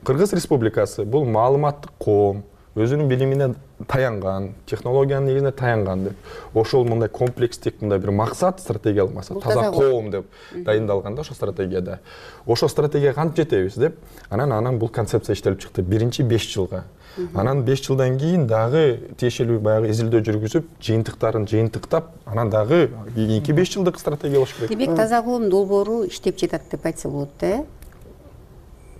Кыргыз Республикасы бул маалыматтык коом, өзүнүн билимине таянган, технологиянын негизине таянган деп. Ошол мындай комплекстик мындай бир максат, стратегиялык максат, таза коом деп дайындалган да ошол стратегияда. Ошол стратегияга кантип жетебиз деп, анан бул концепция иштелип чыкты. Биринчи 5 жылга. Анан 5 жылдан кийин дагы тиешелүү баягы изилдөө жүргүзүп, жыйынтыктарын жыйынтыктап, анан дагы кийинки 5 жылдык стратегия болуш керек. Демек, таза коом долбоору иштеп жатат деп айтса болот да,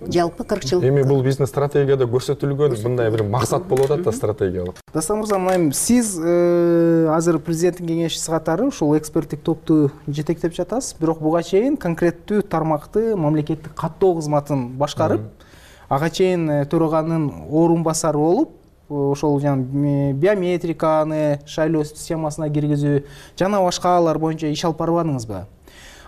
жалпы 40 жыл. Эми бул биздин стратегияда көрсөтүлгөн мындай бир максат болуп атат да, стратегиялык. Дастан мырза, мына сиз азыр президенттин кеңешчиси катары ушул эксперттик топту жетектеп жатасыз, бирок буга чейин конкреттүү тармакты мамлекеттик каттоо кызматын башкарып, ага чейин төраганын орун басары болуп, ошол жана биометриканы шайлоо системасына киргизүү жана башкалар боюнча иш алып барбадыңызбы?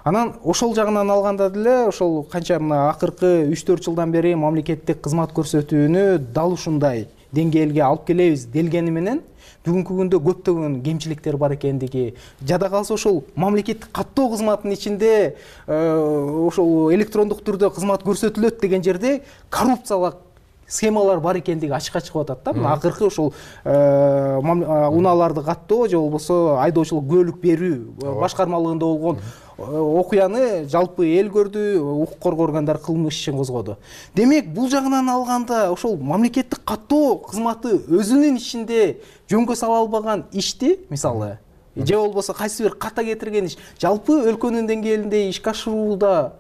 Анан ошол жагынан алганда деле ошол канча мына акыркы 3-4 жылдан бери мамлекеттик кызмат көрсөтүүнү дал ушундай деңгээлге алып келебиз делгени менен бүгүнкү күндө көптөгөн кемчиликтер бар экендиги, жада калса ошол мамлекеттик каттоо кызматынын ичинде ошол электрондук түрдө кызмат көрсөтүлөт деген жерде коррупциялык схемалар бар экендиги ачыкка чыгып атат да. Мына акыркы ошол унааларды каттоо же болбосо айдоочулук күбөлүк берүү башкармалыгында болгон окуяны жалпы эл көрдү, укук коргоо органдары кылмыш ишин козгоду. Демек, бул жагынан алганда ошол мамлекеттик каттоо кызматы өзүнүн ичинде жөнгө сала албаган ишти, мисалы, же болбосо кайсы бир ката кетирген иш жалпы өлкөнүн деңгээлинде ишке ашырууда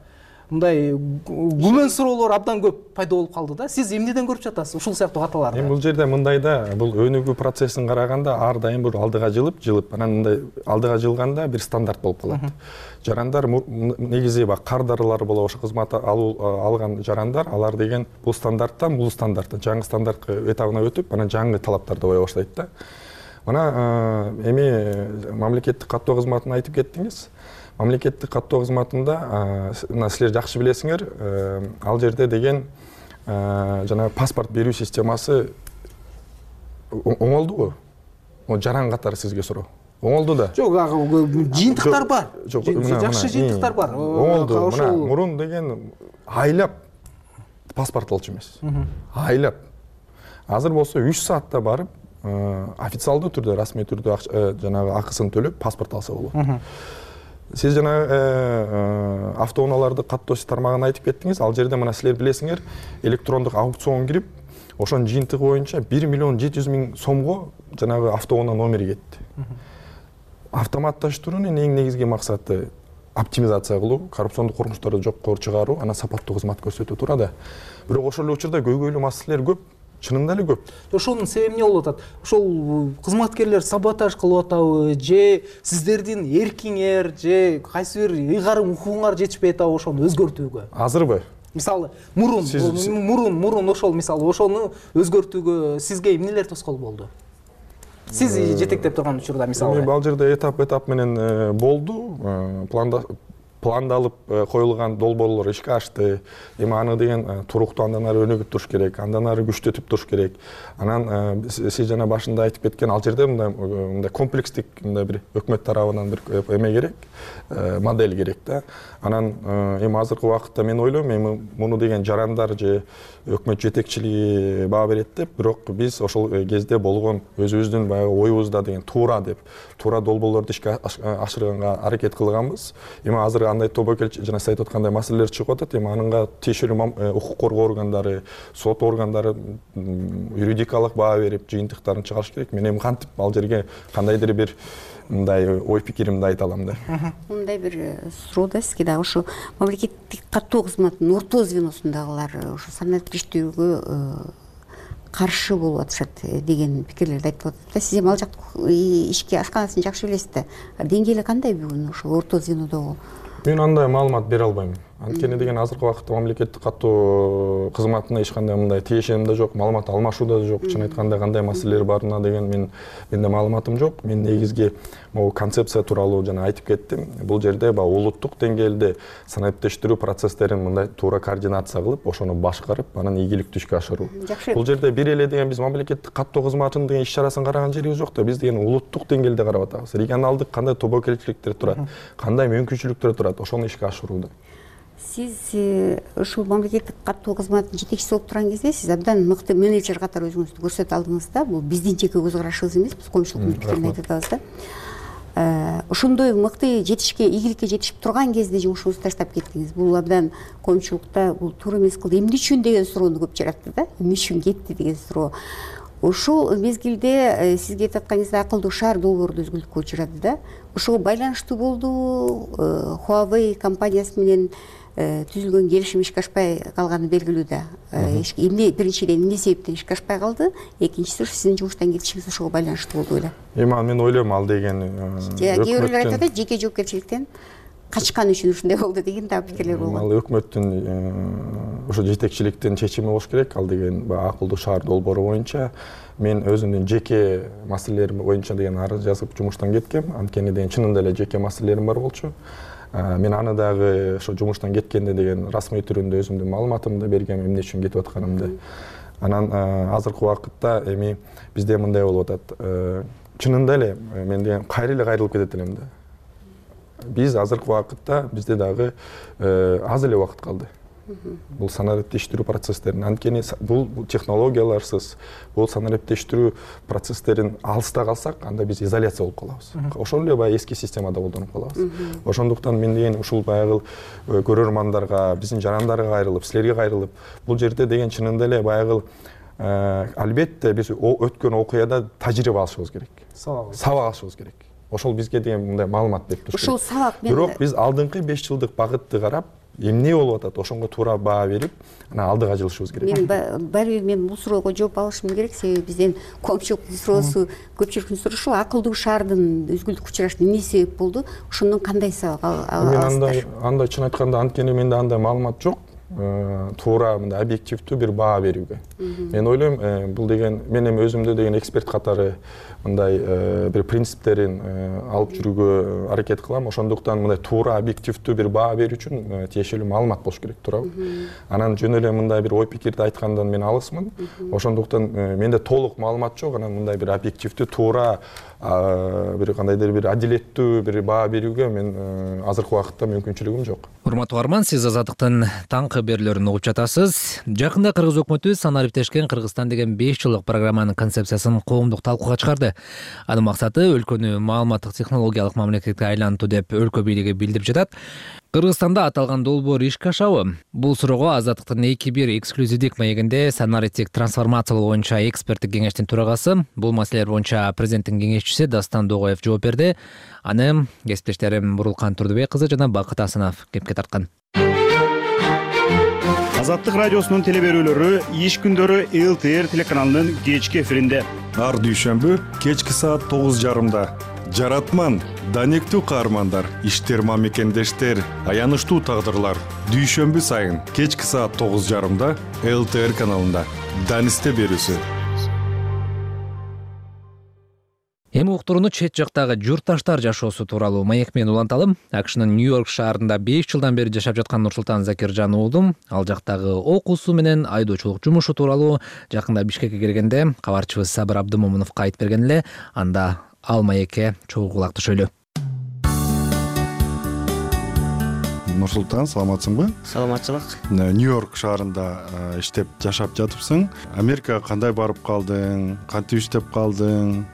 мындай күмөн суроолор абдан көп пайда болуп калды да. Сиз эмнеден көрүп жатасыз ушул сыяктуу каталарды? Эми бул жерде мындай да, бул өнүгүү процессин караганда ар дайым бир алдыга жылып, анан мындай алдыга жылганда бир стандарт болуп калат. Жарандар негизи кар дарылар болобу, ошо кызмат алган жарандар, алар деген бул стандарттан жаңы стандарт этабына өтүп, анан жаңы талаптарды кое баштайт да. Мына эми мамлекеттик каттоо кызматын айтып кеттиңиз. Мамлекеттик каттоо кызматында силер жакшы билесиңер, ал жерде деген жана паспорт берүү системасы оңолдубу? Жаран катары сизге суроо. Оңолду да. Жок, жыйынтыктар бар. Жакшы жыйынтыктар бар. Оңолду. Мына мурун деген айлап паспорт алчу эмес. Айлап. Азыр болсо 3 саатта барып, официалдуу түрдө, расмий түрдө жанагы акысын төлөп паспорт алса болот. Сиз жана автоунааларды каттоо тармагын айтып кеттиңиз. Ал жерде мына силер билесиңер, электрондук аукцион кирип, ошонун жыйынтыгы боюнча 1 миллион 700 миң сомго жанагы автоунаа номери кетти. Автоматташтыруунун эң негизги максаты оптимизация кылуу, коррупциондук кылмыштарды жокко чыгаруу, анан сапаттуу кызмат көрсөтүү тура да. Бирок ошол эле учурда көйгөйлүү маселелер көп. Чынында эле көп. Ошонун себеби эмне болуп атат? Ошол кызматкерлер саботаж кылып атабы, же сиздердин эркиңер, же кайсы бир ыйгарым укугуңар жетишпей атабы ошону өзгөртүүгө? Азырбы? Мисалы, мурун ошол мисалы ошону өзгөртүүгө сизге эмнелер тоскоол болду? Сиз жетектеп турган учурда мисалы. Эми ал жерде этап менен болду, пландалып коюлган долбоорлор ишке ашты. Эми аны деген туруктуу андан ары өнүгүп туруш керек, андан ары күчтөтүп туруш керек. Анан сиз жана башында айтып кеткен ал жерде мындай комплекстик мындай бир өкмөт тарабынан бир эме керек, модель керек да. Анан эми азыркы убакытта мен ойлойм, эми муну деген жарандар же өкмөт жетекчилиги баа берет деп, бирок биз ошол кезде болгон өзүбүздүн баягы оюбузда деген туура долбоорлорду ишке ашырганга аракет кылганбыз. Эми азыр андай тобокелчилик жана сиз айтып аткандай маселелер чыгып атат. Эми аныңга тиешелүү укук коргоо органдары, сот органдары юридикалык баа берип, жыйынтыктарын чыгарыш керек. Мен эми кантип ал жерге кандайдыр бир мындай ой пикиримди айта алам да. Мындай бир суроо да сизге дагы ушу мамлекеттик каттоо кызматынын орто звеносундагылар ушу санариптик иштөөгө каршы болуп атышат деген пикирлерди айтып атат да. Сиз эми ал жак ишке ашканасын жакшы билесиз да. Деңгээли кандай бүгүн ошо орто звенодогу? Мен андай маалымат бере албайм. Анткени деген азыркы убакытта мамлекеттик каттоо кызматына эч кандай мындай тиешем да жок, маалымат алмашууда да жок. Чын айтканда кандай маселелер барына деген менде маалыматым жок. Мен негизги могу концепция тууралуу жана айтып кеттим. Бул жерде улуттук деңгээлде санариптештирүү процесстерин мындай туура координация кылып, ошону башкарып, анан ийгиликтүү ишке ашыруу. Бул жерде бир эле деген биз мамлекеттик каттоо кызматынын деген иш-чарасын караган жерибиз жок да. Биз деген улуттук деңгээлде карап атабыз. Регионалдык кандай тобокелчиликтер турат, кандай мүмкүнчүлүктөр турат, ошону ишке ашырууда. Сиз ушул мамлекеттик каттоо кызматынын жетекчиси болуп турган кезде сиз абдан мыкты менеджер катары өзүңүздү көрсөтө алдыңыз да. Бул биздин жеке көз карашыбыз эмес, биз коомчулуктун пикирин айтып атабыз да. Ошондой мыкты жетишке, ийгиликке жетишип турган кезде жумушуңузду таштап кеттиңиз. Бул абдан коомчулукта бул туура эмес кылды, эмне үчүн деген суроону көп жаратты да. Эмне үчүн кетти деген суроо. Ошол мезгилде сизге айтып атканыңызда акылдуу шаар долбоорду өзгөлтүүгө учурады да. Ошого байланыштуу болду. Huawei компаниясы менен түзүлгөн келишим ишке ашпай калганы белгилүү да. Эмне биринчиден эмне себептен ишке ашпай калды? Экинчиси сиздин жумуштан кетишиңиз ошого байланыштуу болду эле. Мен ойлойм ал деген кээ бирлер айтат да, жеке жоопкерчиликтен качкан үчүн ушундай болду деген дагы пикирлер болгон. Ал өкмөттүн ошо жетекчиликтин чечими болуш керек. Ал деген акылдуу шаар долбоору боюнча мен өзүмдүн жеке маселелерим боюнча деген арыз жазып жумуштан кеткем. Анткени деген чынында эле жеке маселелерим бар болчу. Мен аны дагы ошо жумуштан кеткенде деген расмий түрүндө өзүмдүн маалыматымды бергем, эмне үчүн кетип атканымды. Анан азыркы убакытта эми бизде мындай болуп атат. Чынында эле мен деген кайра эле кайрылып кетет элем да. Биз азыркы убакытта бизде дагы аз эле убакыт калды. Бул санариптештирүү процесстерин, анткени бул технологияларсыз бул санариптештирүү процесстерин алыста калсак, анда биз изоляция болуп калабыз. Ошол эле баягы эски системада колдонуп калабыз. Ошондуктан мен деген ушул баягы көрөрмандарга, биздин жарандарга кайрылып, силерге кайрылып, бул жерде деген чынында эле баягы албетте биз өткөн окуяда тажрыйба алышыбыз керек. Сабак алышыбыз керек. Ошол бизге деген мындай маалымат берип туруш керек. Ошол сабак Бирок биз алдыңкы 5 жылдык багытты карап, эмне болуп атат, ошонго туура баа берип, анан алдыга жылышыбыз керек. Мен бул суроого жооп алышым керек, себеби бизден коомчулуктун суроосу, көпчүлүктүн суроошу акылдуу шаардын өзгөлтүккө учурашына эмне себеп болду? Ошондон кандай сабак аласыздар? Андай чын айтканда, анткени менде андай маалымат жок. Туура мындай объективдүү бир баа берүүгө. Мен ойлойм, бул деген мен эми өзүмдү деген эксперт катары мындай бир принциптерин алып жүрүүгө аракет кылам. Ошондуктан мындай туура объективдүү бир баа берүү үчүн тиешелүү маалымат болуш керек, туурабы? Анан жөн эле мындай бир ой пикирди айткандан мен алысмын. Ошондуктан менде толук маалымат жок, анан мындай бир объективдүү туура бир кандайдыр бир адилеттүү бир баа берүүгө мен азыркы убакытта мүмкүнчүлүгүм жок. Урматтуу угарман, сиз Азаттыктын таңкы берүүлөрүн угуп жатасыз. Жакында Кыргыз өкмөтү санариптешкен Кыргызстан деген 5 жылдык программанын концепциясын коомдук талкууга чыгарды. Анын максаты өлкөнү маалыматтык технологиялык мамлекетке айлантуу деп өлкө бийлиги билдирип жатат. Кыргызстанда аталган долбоор ишке ашабы? Бул суроого Азаттыктын 2-1 эксклюзивдик маегинде санариптик трансформациялоо боюнча эксперттик кеңештин төрагасы, бул маселелер боюнча президенттин кеңешчиси Дастан Догоев жооп берди. Аны кесиптештерим Бурулкан Турдубек кызы жана Бакыт Асанов кепке тарткан. Азаттык радиосунун телеберүүлөрү иш күндөрү ЛТР телеканалынын кечки эфиринде. Ар дүйшөмбү кечки саат 9:30. Жаратман, данектүү каармандар, иштерма мекендештер, аянычтуу тагдырлар. Дүйшөмбү сайын кечки саат 9:30 ЛТР каналында. Данисте берүүсү. Эми уктурууну чет жактагы журтташтар жашоосу тууралуу маек менен уланталы. АКШнын Нью-Йорк шаарында 5 жылдан бери жашап жаткан Нурсултан Закиржан уулум ал жактагы окуусу менен айдоочулук жумушу тууралуу жакында Бишкекке келгенде кабарчыбыз Сабыр Абдымомуновго айтып берген эле. Анда ал маекке чогуу кулак түшөлү. Нурсултан, саламатсыңбы? Саламатчылык. Нью-Йорк шаарында иштеп жашап жатыпсың. Америкага кандай барып калдың? Кантип иштеп калдың?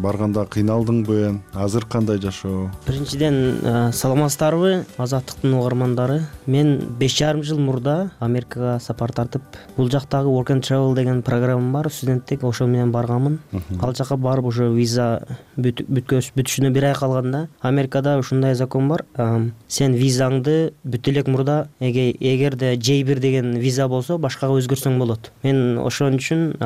Барганда кыйналдыңбы? Азыр кандай жашоо? Биринчиден саламатсыздарбы, Азаттыктын угармандары? Мен 5,5 жыл мурда Америкага сапар тартып, бул жактагы Work and Travel деген программа бар, студенттик, ошол менен барганмын. Ал жака барып уже виза бүтүшүнө 1 ай калганда, Америкада ушундай закон бар. Сен визаңды бүт элек мурда эгерде J1 деген виза болсо башкага өзгөрсөң болот. Мен ошон үчүн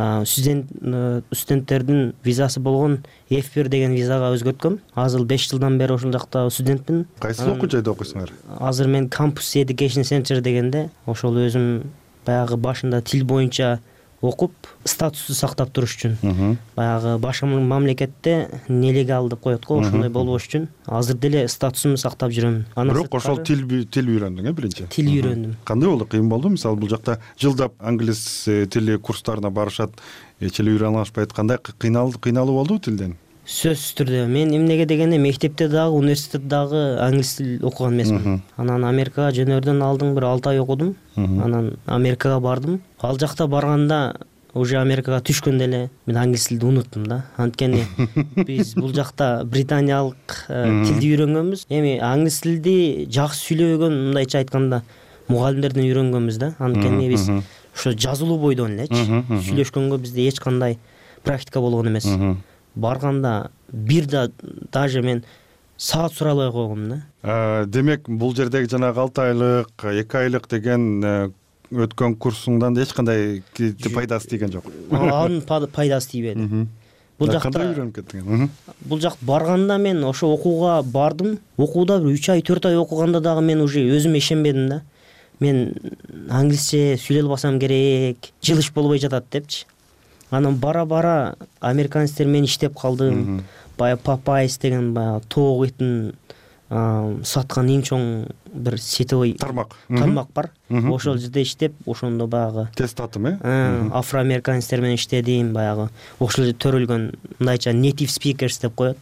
студенттердин визасы болгон F1 деген визага өзгөрткөм. Азыр 5 жылдан бери ошол жакта студентмин. Кайсы окуу жайда окуйсуңар? Азыр мен Campus Education Center дегенде, ошол өзүм баягы башында тил боюнча окуп, статусту сактап туруш үчүн. Баягы башка мамлекетте нелегал деп коет го, ошондой болбош үчүн азыр деле статусумду сактап жүрөм. Бирок ошол тил үйрөндүң, биринчи? Тил үйрөндүм. Кандай болду? Кыйын болду? Мисалы бул жакта жылдап англис тили курстарына барышат, эч эле үйрөнө алышпайт. Кандай кыйналуу болдубу тилден? сөзсүз түрдө мен эмнеге дегенде мектепте дагы университетте дагы англис тил окуган эмесмин. Анан Америкага жөнөөрдөн алдын бир 6 ай окудум. Анан Америкага бардым. Ал жакта барганда уже Америкага түшкөндө эле мен англис тилди унуттум да. Анткени биз бул жакта британиялык тилди үйрөнгөнбүз. Эми англис тилди жакшы сүйлөбөгөн, мындайча айтканда, мугалимдерден үйрөнгөнбүз да. Анткени биз ошо жазылуу бойдон элечи сүйлөшкөнгө бизде эч кандай практика болгон эмес. Барганда бир да даже мен саат суралбай койгом да. Демек бул жердеги жанагы 6 айлык, 2 айлык деген өткөн курсуңдан эч кандай пайдасы тийген жок. Анын пайдасы тийбеди. Бул жакта кандай үйрөнүп кеттиң? Бул жакта барганда мен ошо окууга бардым. Окууда бир 3 ай, 4 ай окуганда дагы мен уже өзүмө ишенбедим да. Мен англисче сүйлөй албасам керек, жылыш болбой жатат депчи. Анан бара-бара американецтер менен иштеп калдым. Баягы Popeyes деген баягы тоок этин саткан эң чоң бир сетевой тармак бар. Ошол жерде иштеп, ошондо баягы тест татым, афроамериканецтер менен иштедим, баягы ошол жерде төрөлгөн мындайча native speakers деп коет.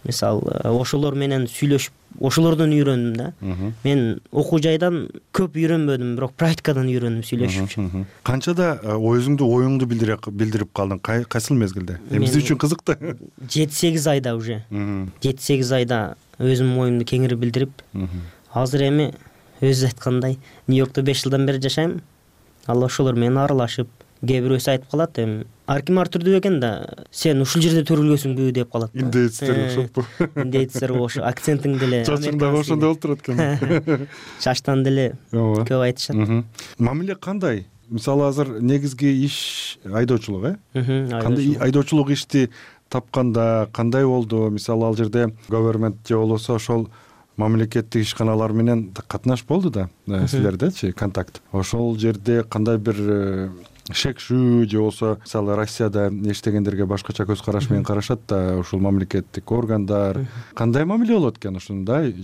Мисалы, ошолор менен сүйлөшүп, ошолордон үйрөндүм да. Мен окуу жайдан көп үйрөнбөдүм, бирок практикадан үйрөндүм сүйлөшүп. Канчада оюңду билдирип калдың? Кайсыл мезгилде? Биз үчүн кызыктı. 7-8 айда уже. 7-8 айда өзүмдүн оюмду кеңири билдирип, азыр эми өзү айткандай Нью-Йоркто 5 жылдан бери жашайм. Ал ошолор менен аралашып, кээ бирөөсү айтып калат, эми ар ким ар түрдүү экен да, сен ушул жерде төрөлгөнсүңбү деп калат. Индеецтер окшоппу? Индеецтер ошо акцентиң деле. Чачың дагы ошондой болуп турат экен. Чачтан деле көп айтышат. Мамиле кандай? Мисалы азыр негизги иш айдоочулук, Кандай айдоочулук ишти тапканда кандай болду? Мисалы ал жерде government же болбосо ошол мамлекеттик ишканалар менен катнаш болду да силердечи контакт. Ошол жерде кандай бир шекшүү же болбосо мисалы Россияда эчтегендерге башкача көз караш менен карашат да, ушул мамлекеттик органдар кандай мамиле болот экен? Ушундай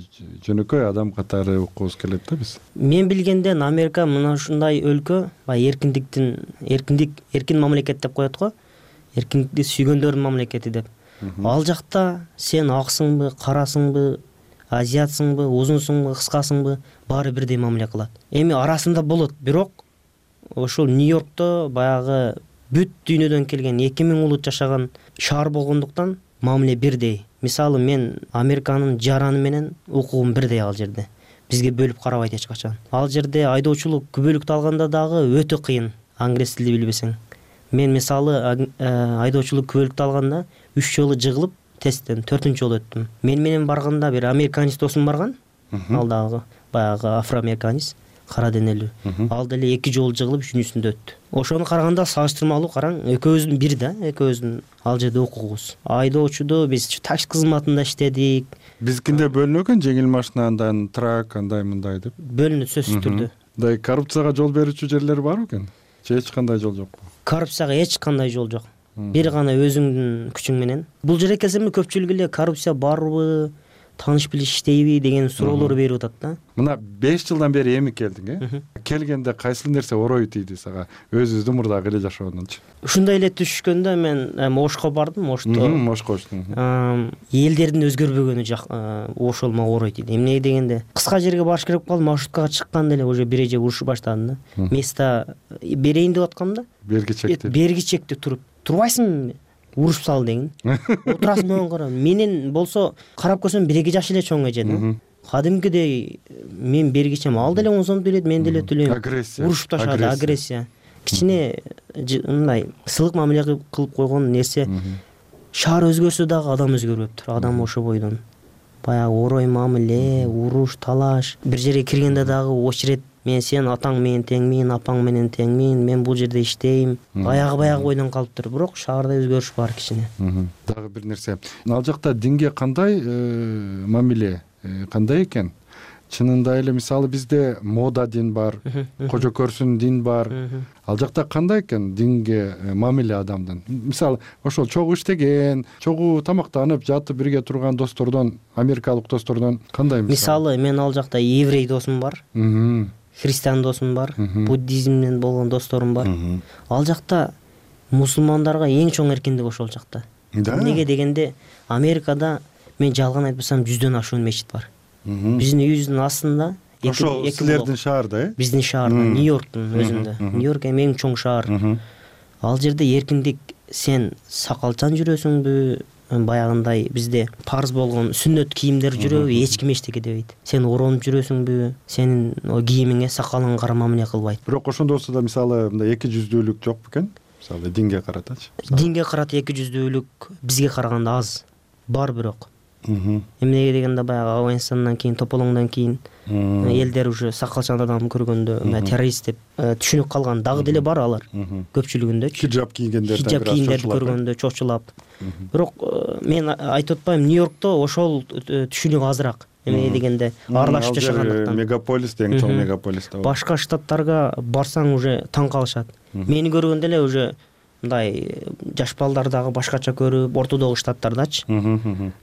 жөнөкөй адам катары уккубуз келет да биз. Мен билгенден Америка мына ушундай өлкө, эркин мамлекет деп коет го. Эркиндикти сүйгөндөрдүн мамлекети деп. Ал жакта сен аксыңбы, карасыңбы, азиатсыңбы, узунсуңбу, кыскасыңбы, баары бирдей мамиле кылат. Эми арасында болот, бирок ошол Нью-Йоркто баягы бүт дүйнөдөн келген 2000 улут жашаган шаар болгондуктан мамиле бирдей. Мисалы мен Американын жараны менен укугум бирдей ал жерде. Бизге бөлүп карабайт эч качан. Ал жерде айдоочулук күбөлүктү алганда дагы өтө кыйын, англис тилди билбесең. Мен мисалы айдоочулук күбөлүктү алганда 3 жолу жыгылып, тесттен 4-чү жолу өттүм. Мен менен барганда бир американец досум барган. Ал дагы баягы афроамериканец, кара денелүү. Ал деле 2 жолу жыгылып, 3-үчүсүндө өттү. Ошону караганда салыштырмалуу караң, экөөбүздүн бир да, экөөбүздүн ал жерде укугубуз. Айдоочуду биз такси кызматында иштедик. Бизкинде бөлүнөт экен, жеңил машина, андан трак, андай мындай деп. Бөлүнөт сөзсүз түрдө. Мындай коррупцияга жол берүүчү жерлер барбы экен? Же эч кандай жол жокпу? Коррупцияга эч кандай жол жок. Бир гана өзүңдүн күчүң менен. Бул жерге келсем көпчүлүк эле коррупция барбы, тааныш билиш иштейби деген суроолор берип атат да. Мына 5 жылдан бери эми келдиң, Келгенде кайсыл нерсе орой тийди сага? Өзүбүздүн мурдагы эле жашоодончу. Ушундай эле түшкөндө мен Ошко бардым, Ошко. Элдердин өзгөрбөгөнү ошол мага орой тийди. Эмне дегенде, кыска жерге барыш керек болуп, маршруткага чыкканда эле уже бир эже урушуп баштадым да. Место берейин деп аткам да. Берги чекте турбайсыңбы? Урушуп сал деген. Отурасың менен кара. Менен болсо карап көрсөм 1-2 жаш эле чоң эже да. Кадимкидей мен бергичем, ал деле 10 сом төлөйт, мен деле төлөйм. Урушуп ташады, агрессия. Кичине мындай сылык мамиле кылып койгон нерсе. Шаар өзгөрсө дагы адам өзгөрбөптүр. Адам ошо бойдон. Баягы орой мамиле, уруш, талаш. Бир жерге киргенде дагы очерет, мен сен атаң менен теңмин, апаң менен теңмин, мен бул жерде иштейм. Баягы бойдон калыптыр, бирок шаарда өзгөрүш бар кичине. Дагы бир нерсе. Ал жакта динге кандай мамиле, кандай экен? Чынында эле мисалы бизде мода дин бар, кожо көрсүн дин бар. Ал жакта кандай экен динге мамиле адамдын? Мисалы ошол чогуу иштеген, чогуу тамактанып, жатып бирге турган достордон, америкалык достордон кандай мисалы? Мен ал жакта еврей досум бар. Христиан досум бар, буддизмден болгон досторум бар. Ал жакта мусулмандарга эң чоң эркиндик ошол жакта. Эмнеге дегенде Америкада мен жалган айтпасам 100дөн ашуун мечит бар. Биздин үйүбүздүн астында ошол силердин шаарда, биздин шаарда, Нью-Йорктун өзүндө. Нью-Йорк эми эң чоң шаар. Ал жерде эркиндик, сен сакалчан жүрөсүңбү, баягындай бизде парз болгон сүннөт кийимдер жүрөбү, эч ким эчтеке дебейт. Сен оронуп жүрөсүңбү, сенин кийимиңе, сакалыңа карап мамиле кылбайт. Бирок ошондосу да мисалы мындай эки жүздүүлүк жок бекен? Мисалы динге каратачы. Динге карата эки жүздүүлүк бизге караганда аз. Бар бирок. Эмнеге дегенде баягы Афганистандан кийин, тополоңдон кийин элдер уже сакалчан адам көргөндө террорист деп түшүнүп калган дагы деле бар алар. Көпчүлүгүндө хиджаб кийгендерди көргөндө чочулап. Бирок мен айтып атпайм, Нью-Йоркто ошол түшүнүк азыраак. Эмне дегенде аралашып жашагандыктан. Мегаполис, эң чоң мегаполис да. Башка штаттарга барсаң уже таң калышат. Мени көргөндө эле уже мындай жаш балдар дагы башкача көрүп, ортодогу штаттардачы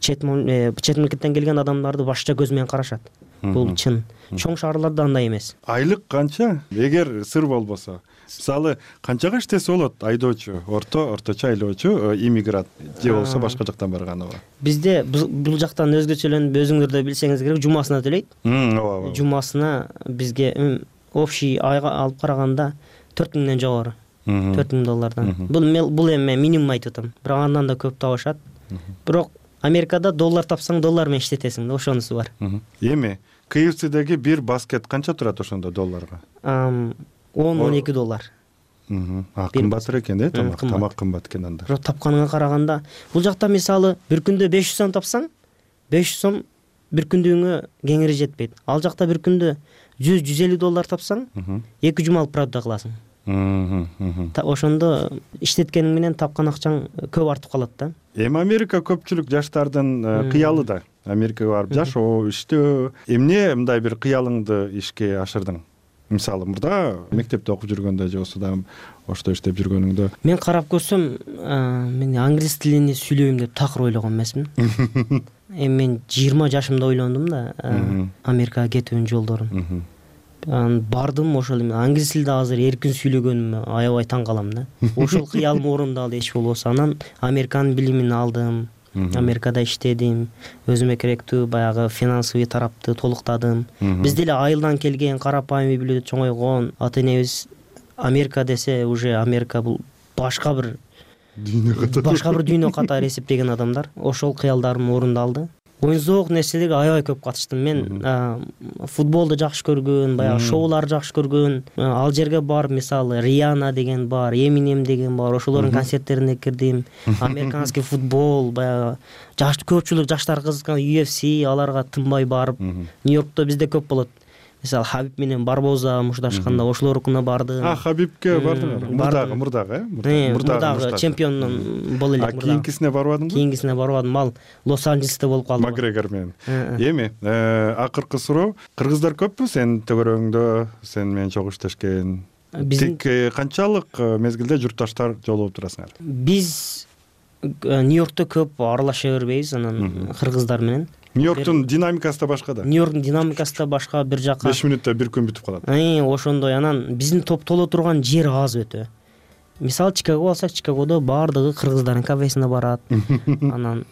чет мамлекеттен келген адамдарды башкача көз менен карашат. Бул чын. Чоң шаарларда андай эмес. Айлык канча? Эгер сыр болбосо, мисалы канчага иштесе болот айдоочу, орточо айлоочу иммигрант же болбосо башка жактан барганыбы? Бизде бул жактан өзгөчөлөнүп, өзүңөр да билсеңиз керек, жумасына төлөйт. Ооба. Жумасына бизге общий айга алып караганда 4000ден жогору. $4000. Бул эми минимум айтып атам. Бирок андан да көп табышат. Бирок Америкада доллар тапсаң, доллар менен иштетесиң да, ошонусу бар. Эми KFC'деги бир баскет канча турат ошондо долларга? $10-12. Кымбатыраак экен да, тамак кымбат экен анда. Бирок тапканыңа караганда, бул жакта мисалы бир күндө 500 сом тапсаң, 500 сом бир күндүгүңө кеңири жетпейт. Ал жакта бир күндө $100-150 тапсаң, 2 жума алып правда кыласың. Ошондо иштеткениң менен тапкан акчаң көп артып калат да. Эми Америка көпчүлүк жаштардын кыялы да. Америкага барып жашоо, иштөө. Эмне мындай бир кыялыңды ишке ашырдың? Мисалы мурда мектепте окуп жүргөндө же болсо да ошто иштеп жүргөнүңдө. Мен карап көрсөм, мен англис тилин сүйлөйм деп такыр ойлогон эмесмин. Эми мен 20 жашымда ойлондум да Америкага кетүүнүн жолдорун. Бардым, ошол эми англис тилде азыр эркин сүйлөгөнүмө аябай таң калам да. Ошол кыялым орундалды эч болбосо. Анан Американын билимин алдым. Америкада иштедим. Өзүмө керектүү баягы финансовый тарапты толуктадым. Биз деле айылдан келген, карапайым үй бүлөдө чоңойгон ата энебиз Америка десе уже Америка бул башка бир дүйнө катары эсептеген адамдар. Ошол кыялдарым орундалды. Оюнзоок нерселерге аябай көп катыштым. Мен футболду жакшы көргөн, баягы шоуларды жакшы көргөн. Ал жерге барып, мисалы Риана деген бар, Эминем деген бар, ошолордун концерттерине кирдим. Американский футбол, баягы көпчүлүк жаштар кызыккан UFC, аларга тынбай барып, Нью-Йоркто бизде көп болот. Мисалы Хабиб менен Барбоза мушташканда ошолорукуна бардым. Хабибке бардыңар? Мурдагы, мурдагы чемпиондун боло элек. Кийинкисине барбадыңбы? Кийинкисине барбадым. Ал Лос-Анджелесте болуп калды. Макгрегор менен. Эми акыркы суроо, кыргыздар көппү сенин төгөрөңдө, сен менен чогуу иштешкен? Тик канчалык мезгилде журтташтар жолугуп турасыңар? Биз Нью-Йоркто көп аралаша бербейбиз, анан кыргыздар менен. Нью-Йорктун динамикасы да башка да. Нью-Йорктун динамикасы да башка, бир жака 5 мүнөттө бир күн бүтүп калат. Ошондой. Анан биздин топтоло турган жер аз өтө. Мисалы Чикаго алсак, Чикагодо баардыгы кыргыздардын кафесине барат. Анан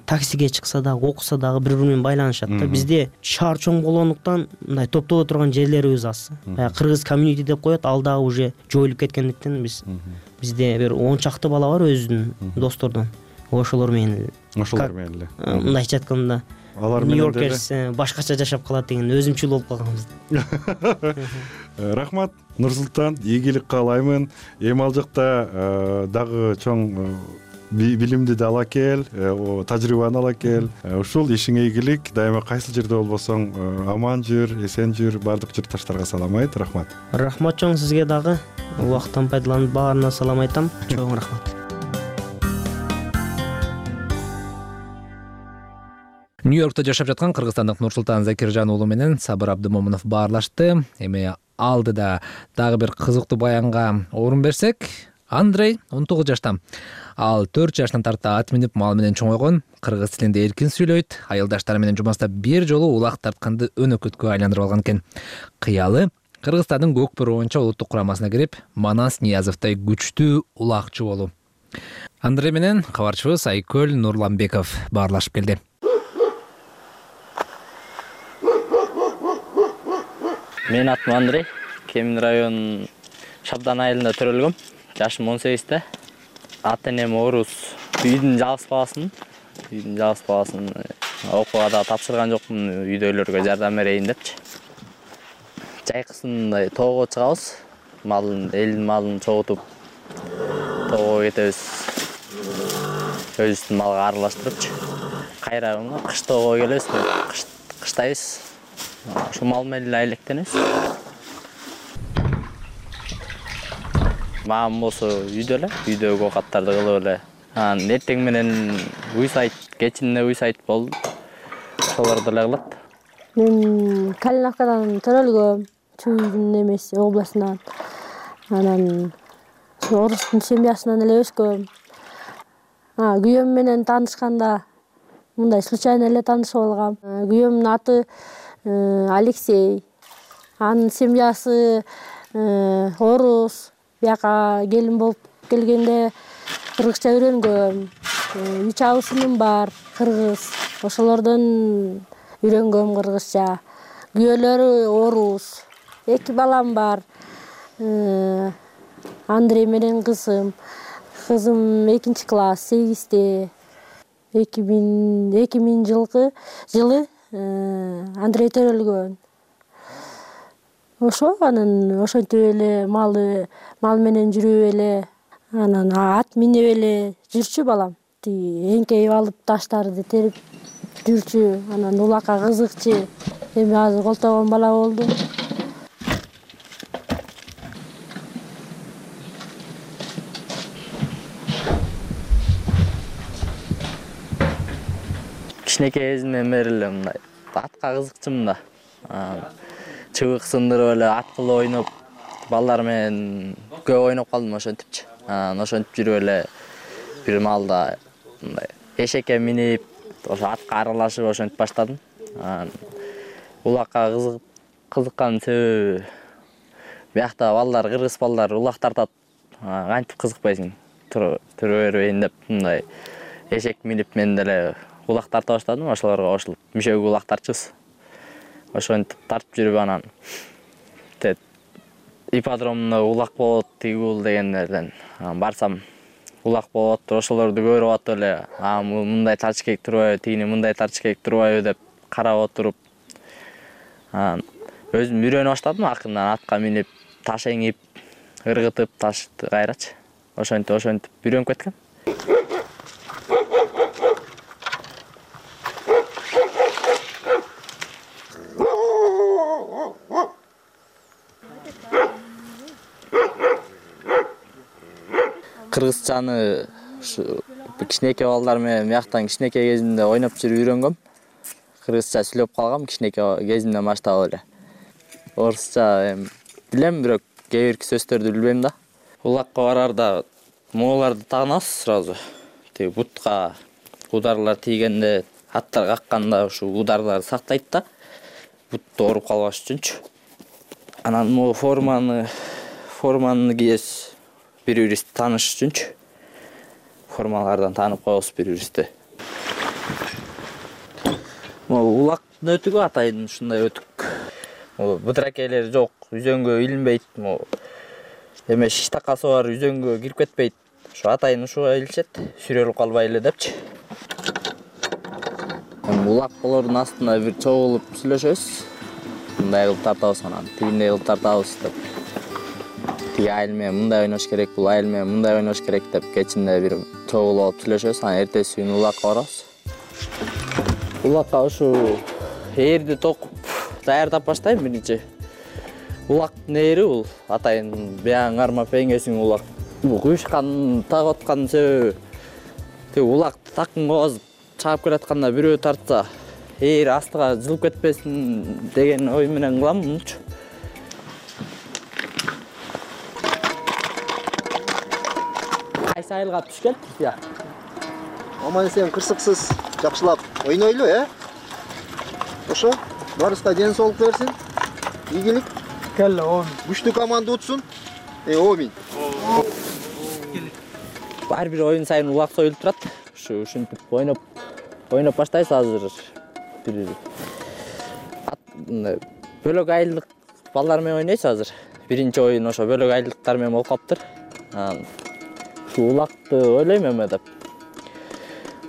таксиге чыкса дагы, окуса дагы бири-бири менен байланышат да. Бизде шаар чоң болгондуктан мындай топтоло турган жерлерибиз аз. Кыргыз комьюнити деп коет, ал дагы уже жоюлуп кеткендиктен бизде бир 10 чакты бала бар өзүнүн достордон. Ошолор менен эле. Мындайча айтканда Нью-Йоркерс башкача жашап калат деген өзүмчүл болуп калганбыз. Рахмат, Нурсултан, ийгилик каалаймын. Эми ал жакта дагы чоң билимди да ала кел, тажрыйбаны ала кел. Ушул ишиңе ийгилик, дайыма кайсыл жерде болбосоң аман жүр, эсен жүр. Баардык журтташтарга салам айт. Рахмат. Рахмат чоң сизге дагы. Убакыттан пайдаланып баарына салам айтам. Чоң рахмат. Нью-Йоркто жашап жаткан кыргызстандык Нурсултан Закиржан уулу менен Сабыр Абдымомунов баарлашты. Эми алдыда дагы бир кызыктуу баянга орун берсек, Андрей 19 жашта. Ал 4 жаштан тарта ат минип мал менен чоңойгон, кыргыз тилинде эркин сүйлөйт, айылдаштары менен жумаста бир жолу улак тартканды өнөкөткө айландырып алган экен. Кыялы Кыргызстандын Көкбөр оюнча улуттук курамасына кирип, Манас Ниязовдой күчтүү улакчы болуу. Андре менен кабарчыбыз Айкөл Нурланбеков баарлашып келди. Мен атым Андрей, Кемин район Шабдан айылында төрөлгөм. Жашым 18-те. Ата-энем орус. Үйдүн жалгыз баласын окууга да тапшырган жокмун, үйдөгүлөргө жардам берейин депчи. Жайкысын тоого чыгабыз. Элдин малын чогутуп тоого кетебиз. Өзүбүздүн малга аралаштырыпчы. Кайра кыш тоого келебиз, кыштайбыз. Ошо мал менен эле айлектенебиз. Мамам болсо үйдөгү оокаттарды кылып эле. Эртең менен уй сайт, кечинде уй сайт болду. Ошолорду эле кылат. Мен Калиновкадан төрөлгөм, Чүйдүн эмеси областынан. Анан орустун семьясынан эле өскөм. Күйөөм менен таанышканда мындай случайно эле таанышып алгам. Күйөөмдүн аты Алексей. Анын семьясы орус. Бияка келин болуп келгенде кыргызча үйрөнгөм. 3 абысыным бар, кыргыз. Ошолордон үйрөнгөм кыргызча. Күйөөлөрү орус. 2 балам бар. Андрей менен кызым. Кызым 2-класс, 8-те. 2000 жылы Андрей төрөлгөн. Анан ошентип эле мал менен жүрүп эле, анан ат минип эле жүрчү балам. Эңкейип алып таштарды терип жүрчү, анан улакка кызыкчы. Эми азыр колтогон бала болду. Кичинекей кезимден бери эле мындай атка кызыкчумун да. Чыбык сындырып эле ат кылып ойноп, балдар менен көп ойноп калдым ошентипчи. Ошентип жүрүп эле бир маалда мындай эшекке минип, ошо атка аралашып ошентип баштадым. Улакка кызыккан себеби биякта балдар, кыргыз балдар улак тартат. Кантип кызыкпайсың? Тура бербейин деп мындай эшек минип мен деле улак тарта баштадым, ошолорго кошулуп мүшөгү улак тартчубуз. Ошентип тартып жүрүп анан ипподромдо улак болот, тигул дегендерден барсам улак болот, ошолорду көрүп атып эле, мындай тартыш керек турбайбы, тигини мындай тартыш керек турбайбы деп карап отуруп өзүм үйрөнө баштадым. Акырындан атка минип, таш эңип, ыргытып, ташты кайрачы. Ошентип үйрөнүп кеткем. Кыргызчаны кичинекей балдар менен бияктан кичинекей кезимде ойноп жүрүп үйрөнгөм. Кыргызча сүйлөп калгам кичинекей кезимден баштап эле. Орусча билем, бирок кээ бир сөздөрдү билбейм да. Улакка барарда моолорду тагынабыз сразу. Тиги бутка ударлар тийгенде, аттар какканда ушу ударларды сактайт да. Бутту ооруп калбаш үчүнчү. Анан могу форманы кийебиз. Бири-бирибизди тааныш үчүнчү. Формалардан таанып коебуз бири-бирибизди. Могу улактын өтүгү атайын ушундай өтүк. Быдракейлери жок, үзөңгө илинбейт. Эме шиш такасы бар, үзөңгө кирип кетпейт. Ушу атайын ушуга илишет, сүрөлүп калбай эле депчи. Улаккалардын астына бир чогулуп сүйлөшөбүз. Мындай кылып тартабыз, анан тигиндей кылып тартабыз деп. Тиги айыл менен мындай ойнош керек, бул айыл менен мындай ойнош керек деп кечинде бир чогулуп алып сүйлөшөбүз. Анан эртеси күнү улакка барабыз. Улакка ушу ээрди токуп даярдап баштайм биринчи. Улактын ээри бул атайын бияң кармап эңесиң улак. Бул куюшкан тагып аткан себеби тиги улакты такын кобозуп чаап келатканда бирөө тартса, ээр астыга жылып кетпесин деген ой менен кылам мунчу. Кайсы айылга түшкөн? Аман эсен кырсыксыз жакшылап ойнойлу, Ошо барыбызга ден соолук берсин. Ийгилик. Күчтүү команда утсун. Омин. ар бир оюн сайын улак союлуп турат. Ушинтип ойноп баштайбыз азыр. Бир бөлөк айылдык балдар менен ойнойбуз азыр. Биринчи оюн ошо бөлөк айылдыктар менен болуп калыптыр. Ушу улакты ойлойм эме деп.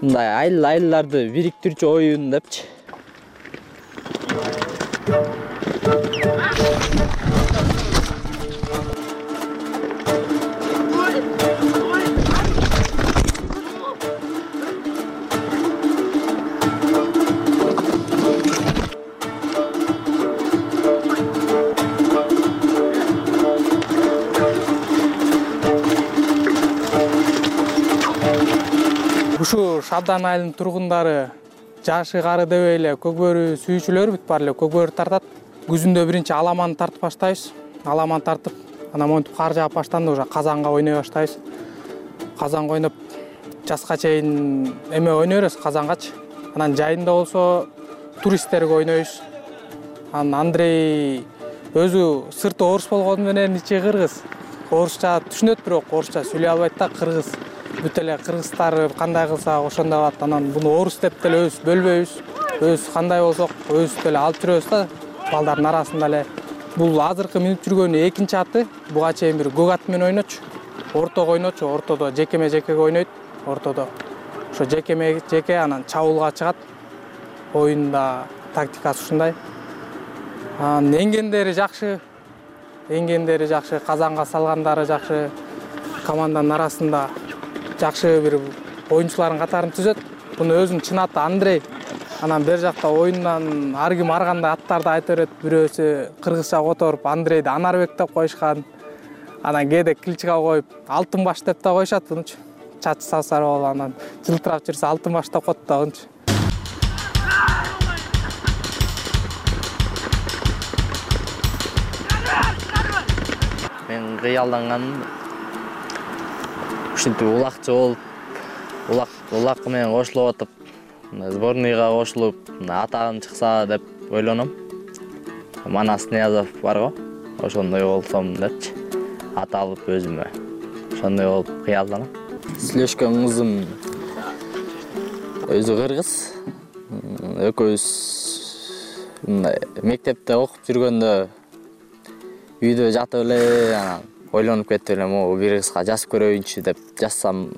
Мындай айылларды бириктирүүчү оюн депчи. Ушу Шабдан айылынын тургундары жашы кары деп эле көкбөрү сүйүүчүлөр бүт баары эле көкбөрү тартат. Күзүндө биринчи аламанды тартып баштайбыз. Аламан тартып, анан монтип кар жаап баштаганда уже казанга ойной баштайбыз. Казанга ойноп жазга чейин эме ойной беребиз казангачы. Анан жайында болсо туристтерге ойнойбуз. Анан Андрей өзү сырты орус болгону менен ичи кыргыз. Орусча түшүнөт, бирок орусча сүйлөй албайт да, кыргыз. Бүт эле кыргыздар кандай кылса ошондой кылат. Анан буну орус деп деле өзүбүз бөлбөйбүз. Өзүбүз кандай болсок, өзүбүз деле алып жүрөбүз да, балдардын арасында эле. Бул азыркы минип жүргөнүн экинчи аты. Буга чейин бир көк ат менен ойночу. Ортого ойночу, ортодо жекеме-жекеге ойнойт. Ортодо ошо жекеме-жеке анан чабуулга чыгат. Оюнда тактикасы ушундай. Анан эңгендери жакшы. Казанга салгандары жакшы. Команданын арасында жакшы бир оюнчулардын катарын түзөт. Буну өзүнүн чын аты Андрей. Анан бер жакта оюндан ар ким ар кандай аттарды айта берет. Бирөөсү кыргызча которуп Андрейди Анарбек деп коюшкан. Анан кээде кличка коюп Алтын баш деп да коюшат бунучу. Чачы сапсар болуп анан жылтырап жүрсө Алтын баш деп коет да бунучу. Мен кыялданганым ушинтип улакчы болуп, улак менен кошулуп атып, сборныйга кошулуп, атагым чыкса деп ойлоном. Манас Ниязов бар го, ошондой болсом депчи. Ат алып өзүмө. Ошондой болуп кыялданам. Сүйлөшкөн кызым өзү кыргыз. Экөөбүз мындай мектепте окуп жүргөндө үйдө жатып эле анан ойлонуп кеттим эле, могу бир кызга жазып көрөйүнчү деп жазсам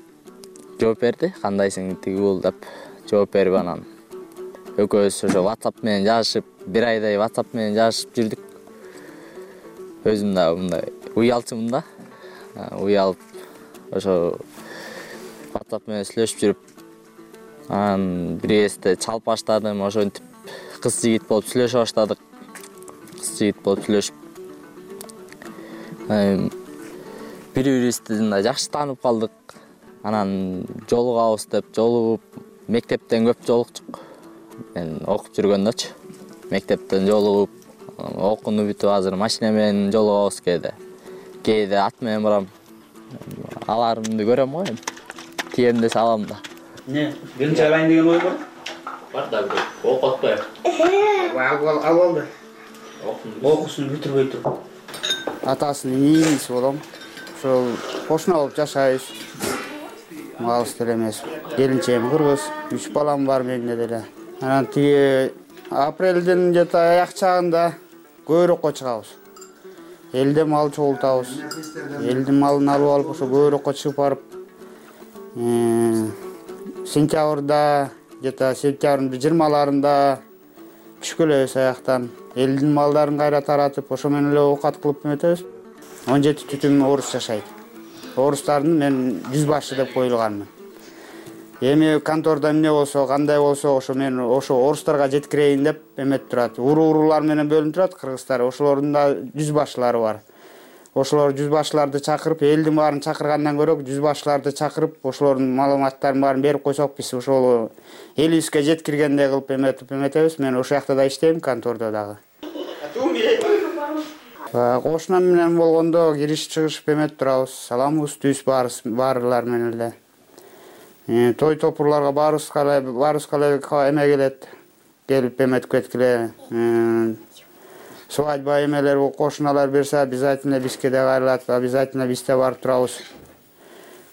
жооп берди. Кандайсың тиги бул деп жооп берип анан экөөбүз ошо WhatsApp менен жазышып, бир айдай WhatsApp менен жазышып жүрдүк. Өзүм да мындай уялчумун да. Уялып ошо WhatsApp менен сүйлөшүп жүрүп, анан бир кезде чалып баштадым. Ошентип кыз жигит болуп сүйлөшө баштадык. Кыз жигит болуп сүйлөшүп бири-бирибизди жакшы таанып калдык. Анан жолугабыз деп жолугуп, мектептен көп жолукчук. Мен окуп жүргөндөчү. Мектептен жолугуп, окууну бүтүп азыр машина менен жолугабыз кээде. Кээде ат менен барам. Аларымды көрөм го эми. Тием десе алам да. Не, келинчек алайын деген ой бар? Бар да бирок окутпай. Ал алды. Окуусун бүтүрбөй туруп. Атасынын ийгиси болом. Ошол кошуна болуп жашайбыз. Алыс деле эмес. Келинчегим кыргыз, 3 балам бар менде деле. Анан тиги апрелдин где-то аяк чагында көйрөккө чыгабыз. Элде мал чогултабыз. Элдин малын алып алып ошо көйрөккө чыгып барып, сентябрда, где-то сентябрдын 20-ларында түшүп келебиз аяктан. Элдин малдарын кайра таратып, ошо менен эле оокат кылып эметебиз. 17 түтүн орус жашайт. Орустардын мен жүзбашы деп коюлганмын. Эми контордо эмне болсо, кандай болсо, ошо мен ошо орустарга жеткирейин деп эметип турат. Уруулар менен бөлүнүп турат кыргыздар. Ошолордун да жүзбашылары бар. Ошолор жүзбашыларды чакырып, элдин баарын чакыргандан көрө жүзбашыларды чакырып, ошолордун маалыматтарын баарын берип койсок, биз ошол элибизге жеткиргендей кылып эметебиз. Мен ошол жакта да иштейм, контордо дагы. Кошунам менен болгондо кириш чыгышып эметип турабыз. Саламыбыз түз баарылар менен эле. Той топурларга баарыбызга эме келет. Келип эметип кеткиле. Свадьба эмелер кошуналар берсе, обязательно бизге да кайрылат, обязательно бизде барып турабыз.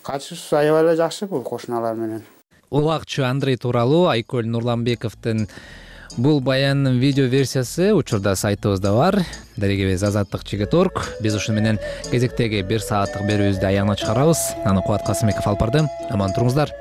катышыбыз аябай эле жакшы бул кошуналар менен. Улакчы Андрей тууралуу Айкөл Нурланбековдун бул баянынын видео версиясы учурда сайтыбызда бар. Дарегебиз Азаттык-Чигит.org. Биз ушуну менен кезектеги 1 сааттык берүүбүздү аягына чыгарабыз. Аны Кубат Касымбеков алып барды. Аман туруңуздар.